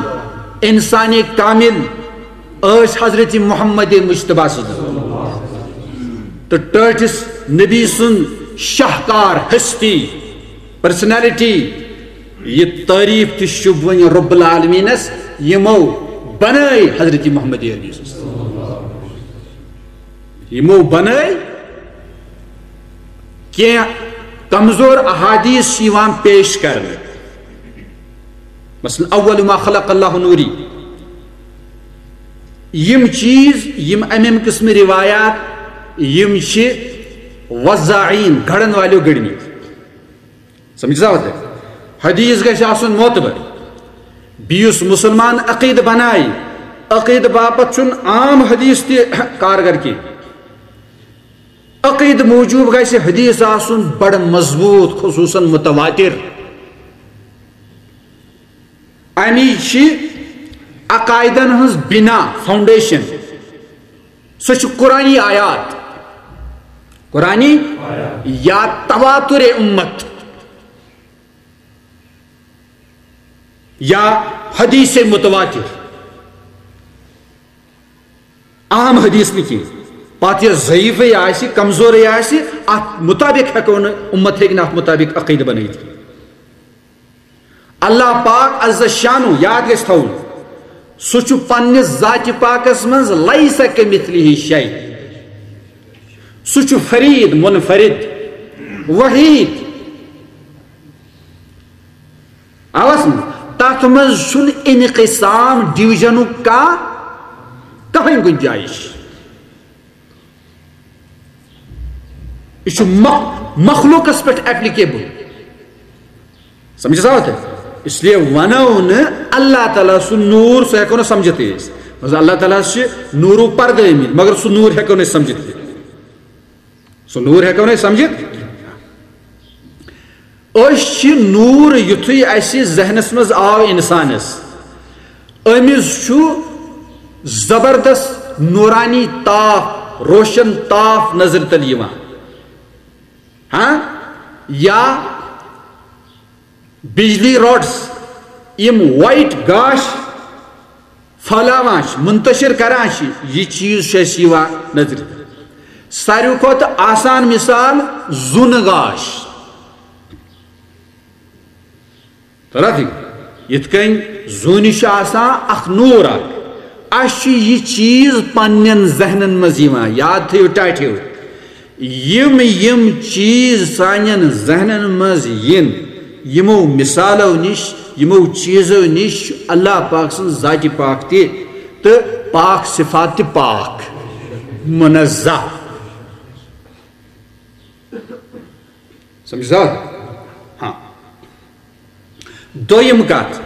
انسان کامل ٲسۍ حضرت محمد مجتبیٰ صلی اللہ علیہ وسلم تہٕ ٹٲٹھِس نبی سُنٛد شاہکار ہستی، پرسنالٹی، یہِ تعریٖف تہِ شوٗب وۄنۍ رب العالمینس، یِمو بنٲے حضرت محمد عربی صلی اللہ علیہ وسلم۔ یِمو بنٲے کینٛہہ کمزور احادیث چھِ یِوان پیش کرنہٕ، مثلاً اول ما خلق اللہ نوری۔ یِم چیٖز، یِم امہِ امہِ قٕسمہٕ روایات، یِم چھِ وزاعین، گڑن والیو گڑمٕتۍ۔ سمجھ سا ہوتے؟ حدیث گژھِ آسُن معتبر۔ بیٚیہِ یُس مسلمان عقیدٕ بنایہِ، عقیدٕ باپتھ چھُنہٕ عام حدیث تہِ کارگر کینٛہہ۔ عقیدٕ موٗجوٗب گژھِ حدیث آسُن بڑٕ مضبوٗط، خصوٗصاً متواتر۔ امی چھِ عقائدن ہٕنٛز بنا، فاؤنڈیشن۔ سُہ چھُ قرآنی آیات، قرآنی یا تواتر امت یا حدیث متواتر۔ عام حدیث نہٕ کینٛہہ۔ پتہٕ یۄس ضعیفٕے آسہِ، کمزورٕے آسہِ، اتھ مطابق ہٮ۪کو نہٕ، امت ہیٚکہِ نہٕ اتھ مطابق عقیدٕ بنٲیِتھ کینٛہہ۔ اللہ پاک عز شانہ، یاد گژھِ تھاوُن، سُہ چھُ پننِس ذاتِ پاکس منٛز لیس کمثلہ شیء۔ سُہ چھُ فرید، منفرد، وحید۔ اوس نہٕ، تتھ منٛز چھُنہٕ انقسام، ڈویژنُک کانٛہہ، کٕہٕنۍ گُنجٲیِش۔ یہِ چھُ مخ-، مخلوقس پٮ۪ٹھ ایپلیکیبل۔ سمجھ سا ہوتے؟ اس لیے ونو نہٕ اللہ تعالیٰ سُنٛد نوٗر، سُہ ہٮ۪کو نہٕ سمجھتھٕے أسۍ۔ مگر اللہ تعالیٰ ہس چھِ نوٗرو پردٕ ٲمٕتۍ، مگر سُہ نوٗر ہٮ۪کو نہٕ أسۍ سمجھتھٕے۔ سُہ نوٗر ہٮ۪کو نہٕ أسۍ سمجھِتھ۔ أسۍ چھِ نوٗر، یُتھُے اَسہِ ذہنَس منٛز آو اِنسانَس، أمِس چھُ زبردست نورانی تاپھ، روشن تاپھ نظرِ تل یِوان۔ ہاں؟ یا بجلی راڈس، یِم وائٹ گاش پھٔہلاوان چھِ، منتشر کران چھِ، یہِ چیٖز چھُ اَسہِ یِوان نظرِ۔ ساروی کھۄتہٕ آسان مثال زوٗنہٕ گاش۔ تران فکرِ؟ یِتھ کٔنۍ زوٗنہِ چھُ آسان اکھ نوٗر اکھ، اَسہِ چھُ یہِ چیٖز پننٮ۪ن ذہنن منٛز یِوان، یاد تھٲیِو ٹاٹھیو۔ یِم یِم چیٖز سانٮ۪ن ذہنن منٛز یِن، یِمو مثالو نِش، یِمو چیٖزو نِش چھُ اللہ پاک سٕنٛز ذاتِ پاک تہِ تہٕ پاک صفات تہِ پاک، منزہ۔ سمجھ سا؟ ہاں۔ دوٚیِم کتھ،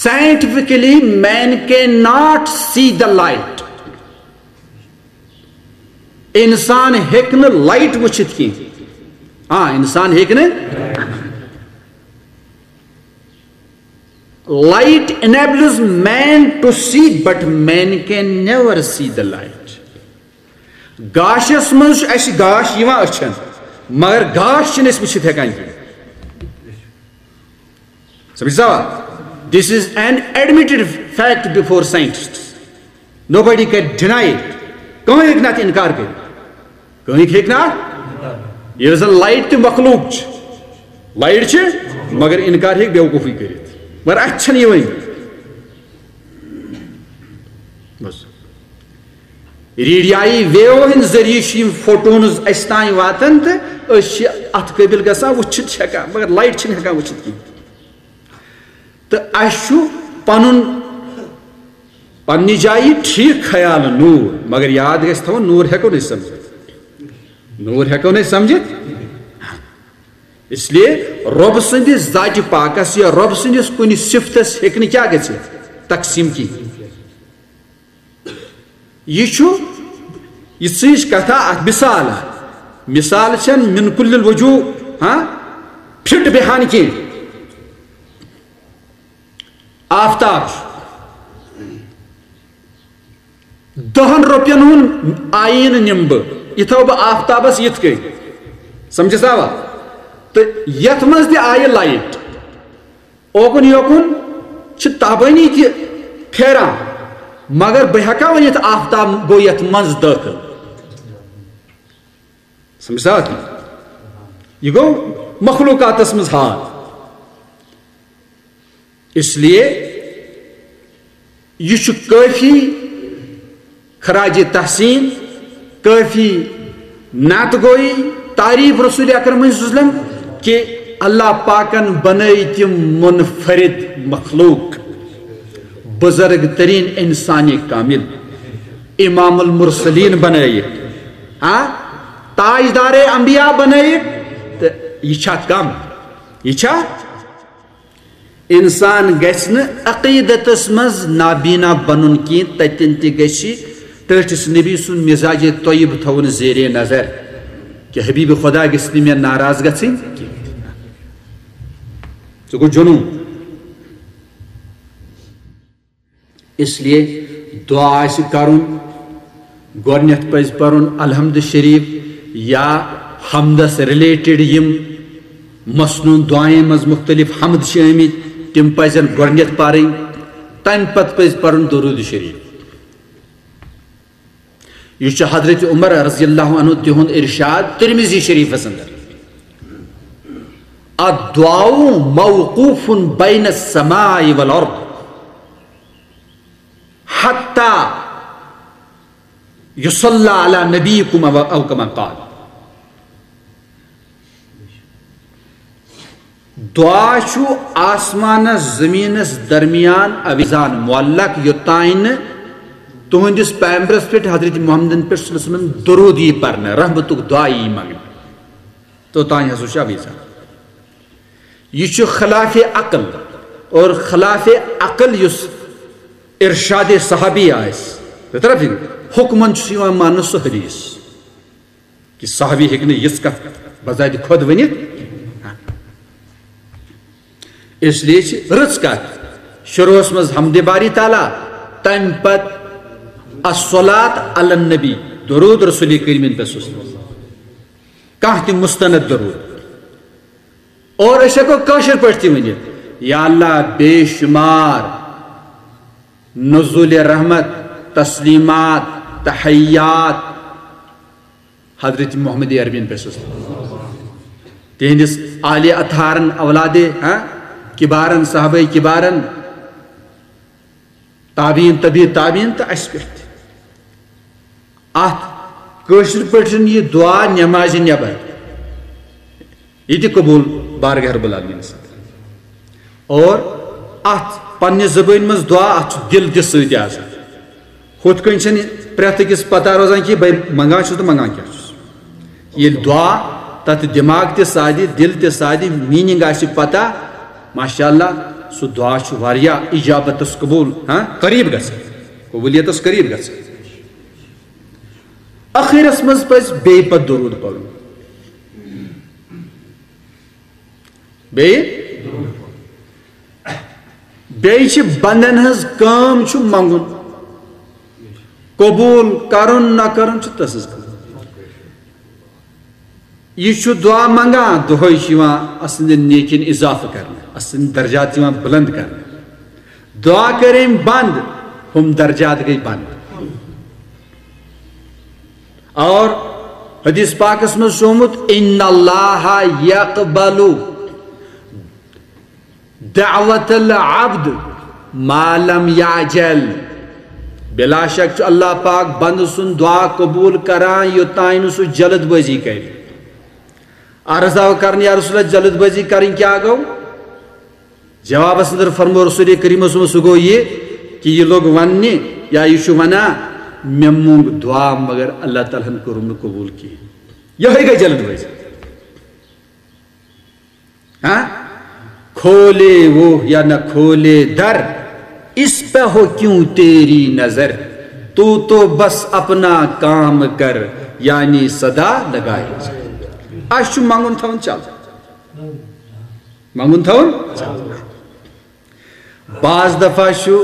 scientifically man cannot see the light۔ انسان ہیٚکہِ نہٕ لایٹ وٕچھِتھ کینٛہہ۔ آ، انسان ہیٚکہِ نہٕ۔ Light enables man to see, but man can never see the light. گاشس منٛز چھُ اَسہِ گاش یِوان أچھن، مگر گاش چھِنہٕ أسۍ وٕچھِتھ ہٮ۪کان کینٛہہ۔ سمجھ سا؟ This is an admitted fact before scientists. Nobody can deny it. کٕہٕنۍ ہیٚکہِ نہٕ اَتھ اِنکار کٔرِتھ۔ کٕہٕنۍ ہیٚکہِ نہٕ اَتھ؟ ییٚلہِ زن لایٹ تہِ مخلوق چھِ، لایٹ چھِ، مگر اِنکار ہیٚکہِ بیوقوٗفٕے کٔرِتھ۔ مگر اَتھِ چھَنہٕ یِوٲنی۔ بس۔ ریڈیائی ویو ہٕنٛدۍ ذٔریعہٕ چھِ یِم فوٹونز اَسہِ تام واتان تہٕ أسۍ چھِ اَتھ قٲبِل گژھان، وٕچھِتھ چھِ ہٮ۪کان، مگر لایٹ چھِنہٕ ہٮ۪کان وٕچھِتھ کِہیٖنۍ۔ تہٕ اَسہِ چھُ پَنُن، پننہِ جایہِ ٹھیٖک خیال نوٗر، مگر یاد گژھِ تھاوُن، نوٗر ہٮ۪کو نہٕ أسۍ سمجھِتھ۔ نوٗر ہٮ۪کو نہٕ أسۍ سمجھِتھ۔ اس لیے رۄب سٕنٛدِس ذاتِ پاکس یا رۄب سٕنٛدِس کُنہِ صفتس ہیٚکہِ نہٕ کیٛاہ گٔژھِتھ؟ تقسیٖم کِہیٖنۍ۔ یہِ چھُ یہِ ژٕج کتھا اکھ مثال اکھ۔ مثال چھَنہٕ من کل الوجوہ، ہاں، فٹ بیہان کینٛہہ۔ آفتاب چھُ۔ دَہَن رۄپین ہُنٛد آیٖنہٕ نِمہٕ بہٕ، یہِ تھاوٕ بہٕ آفتابس یِتھ کٔنۍ۔ سمجھس آوا؟ تہٕ یتھ منٛز تہِ آیہِ لایٹ، اوکُن یوکُن چھِ تابٲنی تہِ پھیران، مگر بہٕ ہٮ۪کا ؤنِتھ آفتاب گوٚو یتھ منٛز دٲخل؟ سمجھ سا؟ یہِ گوٚو مخلوقاتس منٛز حال۔ اس لیے یہِ چھُ کٲفی خراج تحسین، کٲفی نعت گوئی، تعریف رسول اکرم صلی اللہ علیہ وسلم کہ اللہ پاکن بنٲے تِم منفرد مخلوق، بزرگ ترین انسان کامل، امام المرسلین بنٲیِکھ، ہاں، تاجدار انبیاء بنٲیِکھ، تہٕ یہِ چھا کم؟ یہِ چھا؟ انسان گژھِ نہٕ عقیدتس منٛز نابینا بنُن کینٛہہ، تتٮ۪ن تہِ گژھِ ٹٲٹھِس نبی سُنٛد مزاج طیب تھاوُن زیر نظر کہ حبیب خدا گژھِ نہٕ مےٚ ناراض گژھٕنۍ کینٛہہ۔ ژٕ گوٚو جنوٗن۔ اس لیے دعا آسہِ کرُن، گۄڈٕنیتھ پزِ پرُن الحمد شریف یا حمدس ریلیٹڈ یِم مسنون دعایَن منٛز مختلف حمد چھِ آمٕتۍ، تِم پزن گۄڈٕنیتھ پرٕنۍ، تمہِ پتہٕ پزِ پرُن درود شریف۔ یہِ چھُ حضرت عمر رضی اللہ عنہ تِہُنٛد ارشاد ترمذی شریفس اندر، الدعاء موقوف بین السماء والارض حتی یصلی علی نبیکم او، او کما قال۔ دعا چھُ آسمانس زمینس درمیان اویزان معلق، یوٚتام نہٕ تُہنٛدِس پیغمبرس پٮ۪ٹھ حضرت محمدن پٮ۪ٹھ صلی اللہ علیہ وسلم درود یی پرنہٕ، رحمتُک دعا یی منگنہٕ، توٚتام ہسا چھُ اویزان۔ یہِ چھُ خلاف عقل، اور خلاف عقل یُس ارشاد صحابی آسہِ، تہٕ طرف حکمن چھُ یِوان ماننہٕ سُہ حدیث۔ کہ صحابی ہیٚکہِ نہٕ یِژھ کتھ بذاتِ خۄد ؤنِتھ۔ اس لیے چھِ رٕژ کتھ شروعس منٛز حمدِ باری تعالیٰ، تمہِ پتہٕ الصلاۃ علی النبی، درود رسول کریمن پٮ۪ٹھ صلی اللہ علیہ وسلم۔ کانٛہہ تہِ مستند درود۔ اور أسۍ ہٮ۪کو کٲشِر پٲٹھۍ تہِ ؤنِتھ، یا اللہ، بے شمار نزول رحمت، تسلیمات، تحیات حضرت محمد عربین پٮ۪ٹھ صلی اللہ علیہ وسلم۔ تِہنٛدِس آلِ اطہارن، اولادِ، ہاں، کبارن، صحابہ کبارن، تابعین، تبع تابعین تہٕ اسہِ پٮ۪ٹھ تہِ۔ اتھ کٲشِر پٲٹھۍ یہِ دعا نمازِ نٮ۪بر، یہِ تہِ قبول بارگاہ رب العالمینس اندر۔ اور اتھ پننہِ زبٲنۍ منٛز دعا، اتھ چھُ دِل تہِ سۭتۍ آسان۔ ہُتھ کٔنۍ چھنہٕ پرٛٮ۪تھ أکِس پتہ روزان کہِ بہٕ منگان چھُس تہٕ منگان کیٛاہ چھُس۔ ییٚلہِ دعا تتھ دٮ۪ماغ تہِ سادِ، دِل تہِ سادِ، meaning آسہِ پتہ، ماشاء اللہ، سُہ دعا چھُ واریاہ اجابتس قبول، ہاں، قریب گژھان، قبولیتس قریب گژھان۔ ٲخرس منٛز پزِ بیٚیہِ پتہٕ درود پرُن۔ بیٚیہِ، بیٚیہِ چھِ بندن ہٕنٛز کٲم چھُ منٛگُن، قبوٗل کرُن نہ کرُن چھُ تٔسٕنٛز کٲم۔ یہِ چھُ دعا منٛگان، دۄہے چھُ یِوان اَسٕنٛدٮ۪ن نیکین اضافہٕ کرنہٕ، اَسٕنٛدۍ درجات یِوان بلند کرنہٕ۔ دعا کٔرۍ أمۍ بنٛد، ہُم درجات گٔے بنٛد۔ اور حدیث پاکس منٛز چھُ آمُت، "ان اللہ یقبل دعوت العبد ما لم یعجل"۔ بلا شک چھُ اللہ پاک بندٕ سُنٛد دعا قبول کران، یوٚتام نہٕ سُہ جلد بٲزی کرِ۔ عرض آو کرنہٕ، یا رسول اللہ، جلد بٲزی کرٕنۍ کیٛاہ گوٚو؟ جوابس اندر فرمو رسول کریمس منٛز، سُہ گوٚو یہِ کہِ یہِ لوٚگ وننہِ یا یہِ چھُ ونان، "مےٚ مونٛگ دعا مگر اللہ تعالیٰ ہن کوٚرُم نہٕ قبول کینٛہہ۔" یِہوٚے گٔے جلد بٲزی۔ ہاں؟ کھولے وہ یا نہ کھولے در، اس پہ ہو کیوں تیری نظر، تو تو بس اپنا کام کر، یعنی صدا لگائے۔ اسہِ چھُ منٛگُن تھاوُن چل۔ منٛگُن تھاوُن۔ بعض دفعہ چھُ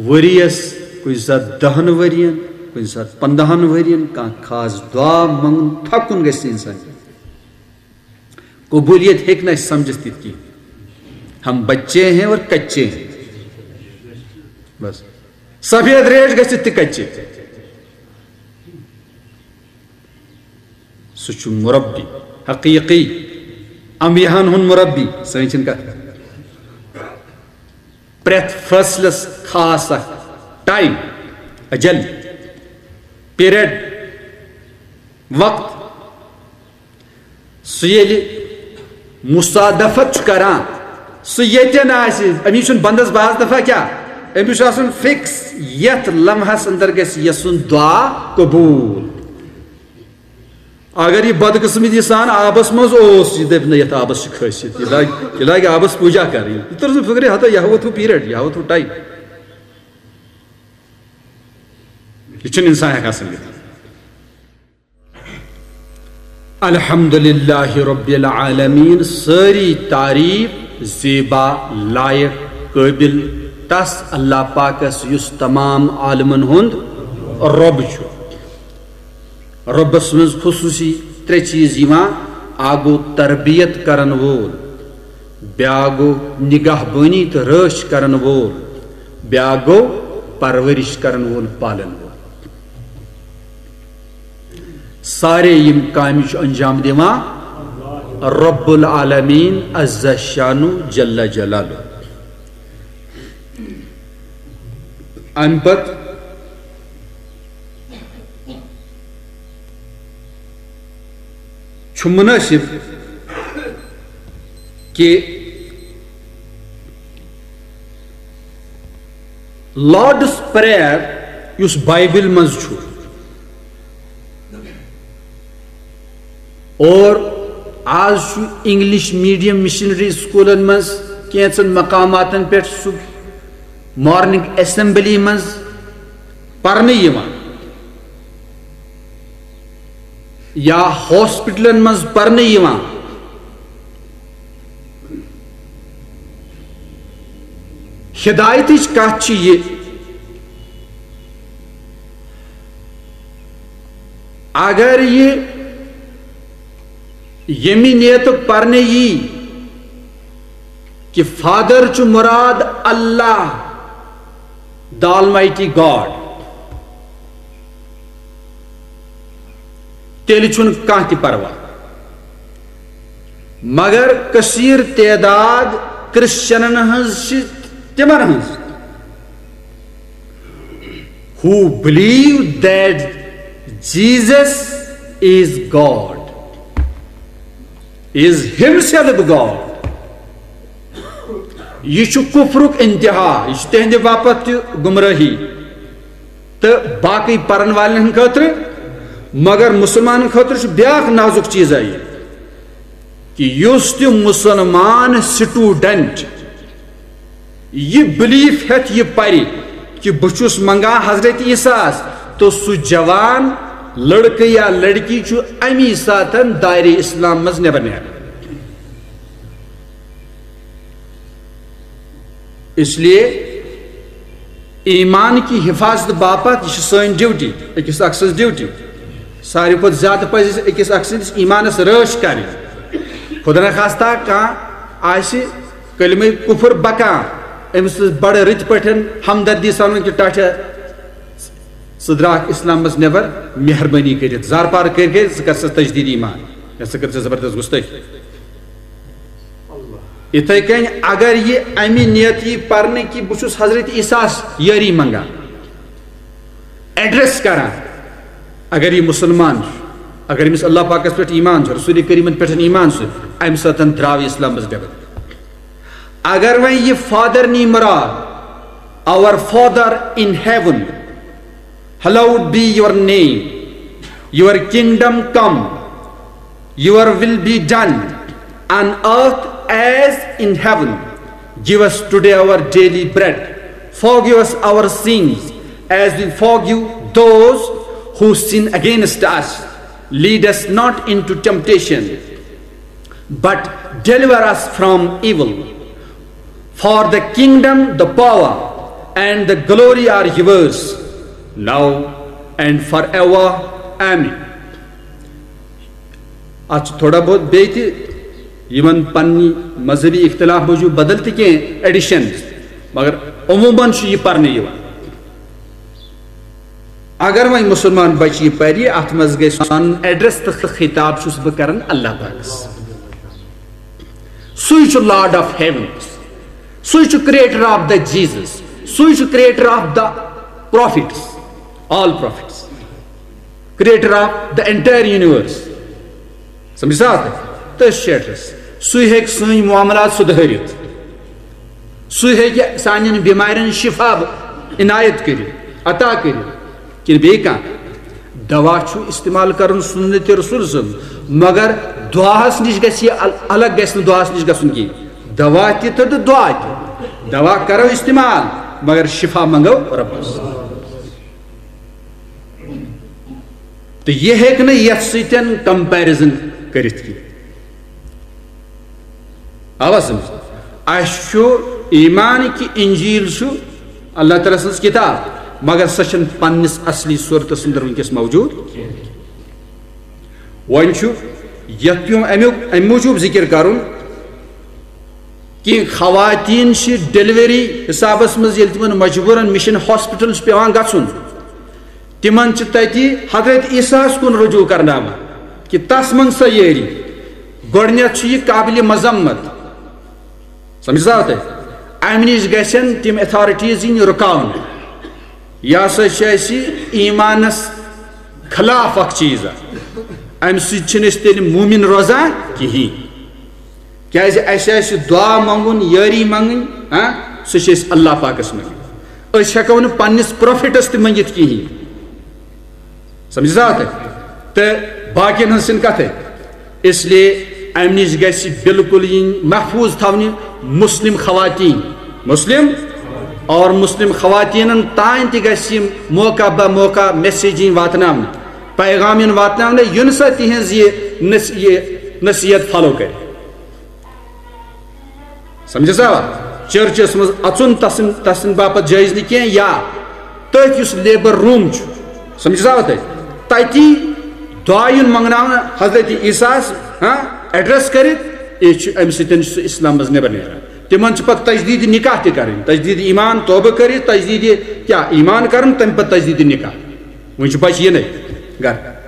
ؤریَس، کُنہِ ساتہٕ دَہَن ؤرِین، کُنہِ ساتہٕ پنٛداہَن ؤرِین کانٛہہ خاص دعا منٛگُن، تھکُن گژھِ نہٕ اِنسان۔ قبولیت ہیٚکہِ نہٕ اَسہِ سمجھِتھ تِتھ کِہیٖنۍ۔ ہم بچے ہیں اور کچے ہیں۔ بس۔ سفید ریش گژھِ تہِ کچے۔ سُہ چھُ مربی، حقیقی انبیاہن ہُنٛد مربی۔ سٲنۍ چھِنہٕ کتھ کران۔ پرٛٮ۪تھ فٲصلس خاص اکھ ٹایم، اجل، پیریڈ، وقت۔ سُہ ییٚلہِ مصادفت چھُ کران، سُہ ییٚتٮ۪ن آسہِ، أمِس چھُنہٕ بندس بعض دفعہ کیٛاہ، أمِس چھُ آسان فکس، یتھ لمحس اندر گژھِ یسُن دعا قبول۔ اگر یہِ بدقسمتی سان آبس منٛز اوس، یہِ دپہِ نہ، یتھ آبس چھِ کھٲسِتھ، یہِ لاگہِ، یہِ لاگہِ آبس پوٗجا کرٕنۍ۔ یہِ تٔر نہٕ فکرِ، ہتا یہِ ہاوتھ ہُہ پیریڈ، یہِ ہاوتھ ہُہ ٹایم۔ یہِ چھُنہٕ انسان ہٮ۪کان سمجھِتھ۔ الحمدللہ رب العالمین، سٲری تعریف زیبا، لائق، قٲبل تس اللہ پاکس یُس تمام عالمن ہُنٛد رب چھُ۔ رۄبس منٛز خصوٗصی ترٛےٚ چیٖز یِوان، اکھ گوٚو تربیت کرن وول، بیٛاکھ گوٚو نگہبٲنی تہٕ رٲچھ کرن وول، بیٛاکھ گوٚو پرورش کرن وول، پالن وول۔ سارے یِم کامہِ چھُ انجام دِوان رب العالمین عز شانو جل جلالو۔ امہِ پتہٕ چھُ مُنٲسِب کہِ لارڈس پریئر یُس بایبل منٛز چھُ، اور آز چھُ انگلش میڈیم مشنری سکولن منٛز کینٛژن مقاماتن پٮ۪ٹھ سُہ مارننگ اسمبلی منٛز پرنہٕ یِوان یا ہاسپٹلن منٛز پرنہٕ یِوان۔ ہدایتٕچ کتھ چھِ یہِ، اگر یہِ ییٚمہِ نیتہٕ پرنہٕ یی کہِ فادر چھُ مراد اللہ، the Almighty God، تیٚلہِ چھُنہٕ کانٛہہ تہِ پرواہ۔ مگر کثیر تعداد کرسچنن ہٕنٛز چھِ تِمن ہٕنٛز، who believe that Jesus is God, is himself God. یہِ چھُ کفرُک انتہا، یہِ چھُ تِہنٛدِ باپتھ تہِ گمرٲہی۔ تہٕ باقٕے پرن والٮ۪ن ہٕنٛدِ خٲطرٕ، مگر مُسلمانن خٲطرٕ چھُ بیٛاکھ نازُک چیٖزا یہِ، کہِ یُس تہِ مُسلمان سٹوڈنٹ یہِ بلیف ہٮ۪تھ یہِ پرِ کہِ بہٕ چھُس منگان حضرت عیسیٰ ہس، تہٕ سُہ جوان لڑکہٕ یا لڑکی چھُ امی ساتن دایرِ اسلام منٛز نٮ۪بر نیران۔ اس لیے ایمان کی حفاظت باپتھ، یہِ چھِ سٲنۍ ڈیوٹی، أکِس اکھ سٕنٛز ڈیوٹی۔ ساروی کھۄتہٕ زیادٕ پزِ اَسہِ أکِس اکھ سٕنٛدِس ایمانس رٲچھ کرٕنۍ۔ خدا نخواستہ کانٛہہ آسہِ کلمہ کفر بکان، أمِس سۭتۍ بڑٕ رٕتۍ پٲٹھۍ ہمدردی سان ونُن کہِ ٹاٹھیا، ژٕ درٛاکھ اسلام منٛز نٮ۪بر، مہربٲنی کٔرِتھ زارپار کٔرۍ کٔرۍ ژٕ کر سا تجدید ایمان، یا ژٕ کر سا زبردست گُستٲخی۔ یِتھے کٔنۍ اگر یہِ اَمہِ نیت یی پرنہٕ کہِ بہٕ چھُس حضرت عیسیٰ ہس یٲری منگان، ایڈریس کران، اگر یہِ مُسلمان چھُ، اگر أمِس اللہ پاکس پٮ۪ٹھ ایمان چھُ، رسول کریمن پٮ۪ٹھ ایمان چھُ، اَمہِ ساتن درٛاو یہِ اسلام منٛز نٮ۪بر۔ اگر وۄنۍ یہِ فادر نی مراد، our Father in heaven, hallowed be your name, your kingdom come, your will be done on earth as in heaven. Give us today our daily bread. Forgive us our sins as we forgive those who sin against us. Lead us not into temptation, but deliver us from evil. For the kingdom, the power, and the glory are yours, now and forever. Amen. اتھ چھُ تھوڑا بہت بیٚیہِ تہِ یِمن پننہِ مذہبی اختلاف موٗجوٗب بدل تہِ کینٛہہ ایڈیشنز، مگر عموٗماً چھُ یہِ پرنہٕ یِوان۔ اگر وۄنۍ مُسلمان بچہِ یہِ پرِ، اتھ منٛز گژھِ سون ایڈریس تہٕ خطاب چھُس بہٕ کران اللہ پاکس۔ سُے چھُ Lord of heaven، سُے چھُ creator of the Jesus، سُے چھُ creator of the prophets، all prophets، creator of the entire universe۔ سمجھ سا؟ تٔتھۍ چھُ ایڈریس۔ سُے ہیٚکہِ سٲنۍ معاملات سُدھٲرِتھ، سُے ہیٚکہِ سانٮ۪ن بٮ۪مارٮ۪ن شفا عنایت کٔرِتھ، عطا کٔرِتھ، کِنہٕ بیٚیہِ کانٛہہ؟ دوا چھُ استعمال کرُن سنت رسول سُنٛد، مگر دعاہس نِش گژھِ یہِ ال-، الگ گژھِ نہٕ دعاہس نِش گژھُن کینٛہہ۔ دوا تہِ تہٕ دعا تہِ، دوا کرو استعمال، مگر شفا منگو رۄبس۔ تہٕ یہِ ہیٚکہِ نہٕ یتھ سۭتۍ کمپیرزن کٔرِتھ کینٛہہ۔ آوا سمجھ؟ اسہِ چھُ ایمان کہِ انجیل چھُ اللہ تعالیٰ سٕنٛز کتاب، مگر سۄ چھنہٕ پننِس اصلی صورتس اندر وٕنکیٚس موجود۔ وۄنۍ چھُ یتھ پیوٚم امیُک، امہِ موٗجوٗب ذکر کرُن کہِ خواتین چھِ ڈیلیوری حسابس منٛز ییٚلہِ تِمن مجبوٗرن مِشن ہاسپٹل چھُ پیوان گژھُن، تِمن چھِ تتہِ حضرت عیسیٰ ہس کُن رجوع کرناوان کہِ تس منٛگ سا یٲری۔ گۄڈٕنیتھ چھُ یہِ قابلِ مذمت، سمجھ سا تۄہہِ؟ امہِ نِش گژھن تِم اتھارٹیز یِنۍ رُکاونہٕ۔ یہِ ہسا چھِ اسہِ ایمانس خلاف اکھ چیٖز اکھ۔ امہِ سۭتۍ چھِنہٕ أسۍ تیٚلہِ مومن روزان کِہیٖنۍ۔ کیازِ اسہِ آسہِ دعا منگُن، یٲری منگٕنۍ، ہاں، سُہ چھِ أسۍ اللہ پاکس منگٕنۍ۔ أسۍ ہٮ۪کو نہٕ پننِس پروفیٹس تہِ منگِتھ کِہیٖنۍ۔ سمجھ سا تۄہہِ؟ تہٕ باقین ہٕنٛز چھِنہٕ کتھے۔ اس لیے امہِ نِش گژھِ بالکل یِنۍ محفوظ تھاونہِ مسلم خواتین، مسلم اور مسلم خواتینن تام تہِ گژھِ یِم موقع بہ موقع میسیج یِنۍ واتناونہٕ، پیغام یُن واتناونہٕ، یُن سا تِہنٛز یہِ نص-، یہِ نصیحت فالو کرِ۔ سمجھ سا؟ چرچس منٛز اژُن تسن تسن باپتھ جٲیز نہٕ کینٛہہ، یا تٔتھۍ یُس لیبر روم چھُ، سمجھِ سا تۄہہِ، تتی دعا یُن منگناونہٕ حضرت عیسیٰ ہس، ہاں، ایڈریس کٔرِتھ، یہِ چھُ، امہِ سۭتۍ چھُ سُہ اسلام منٛز نٮ۪بر نیران۔ تِمن چھِ پتہٕ تجدید نکاح تہِ کرٕنۍ، تجدید ایمان، توبہٕ کٔرِتھ تجدید کیٛاہ، ایمان کرُن، تمہِ پتہٕ تجدید نکاح۔ وۄنۍ چھُ بچہِ یِنَے گرٕ۔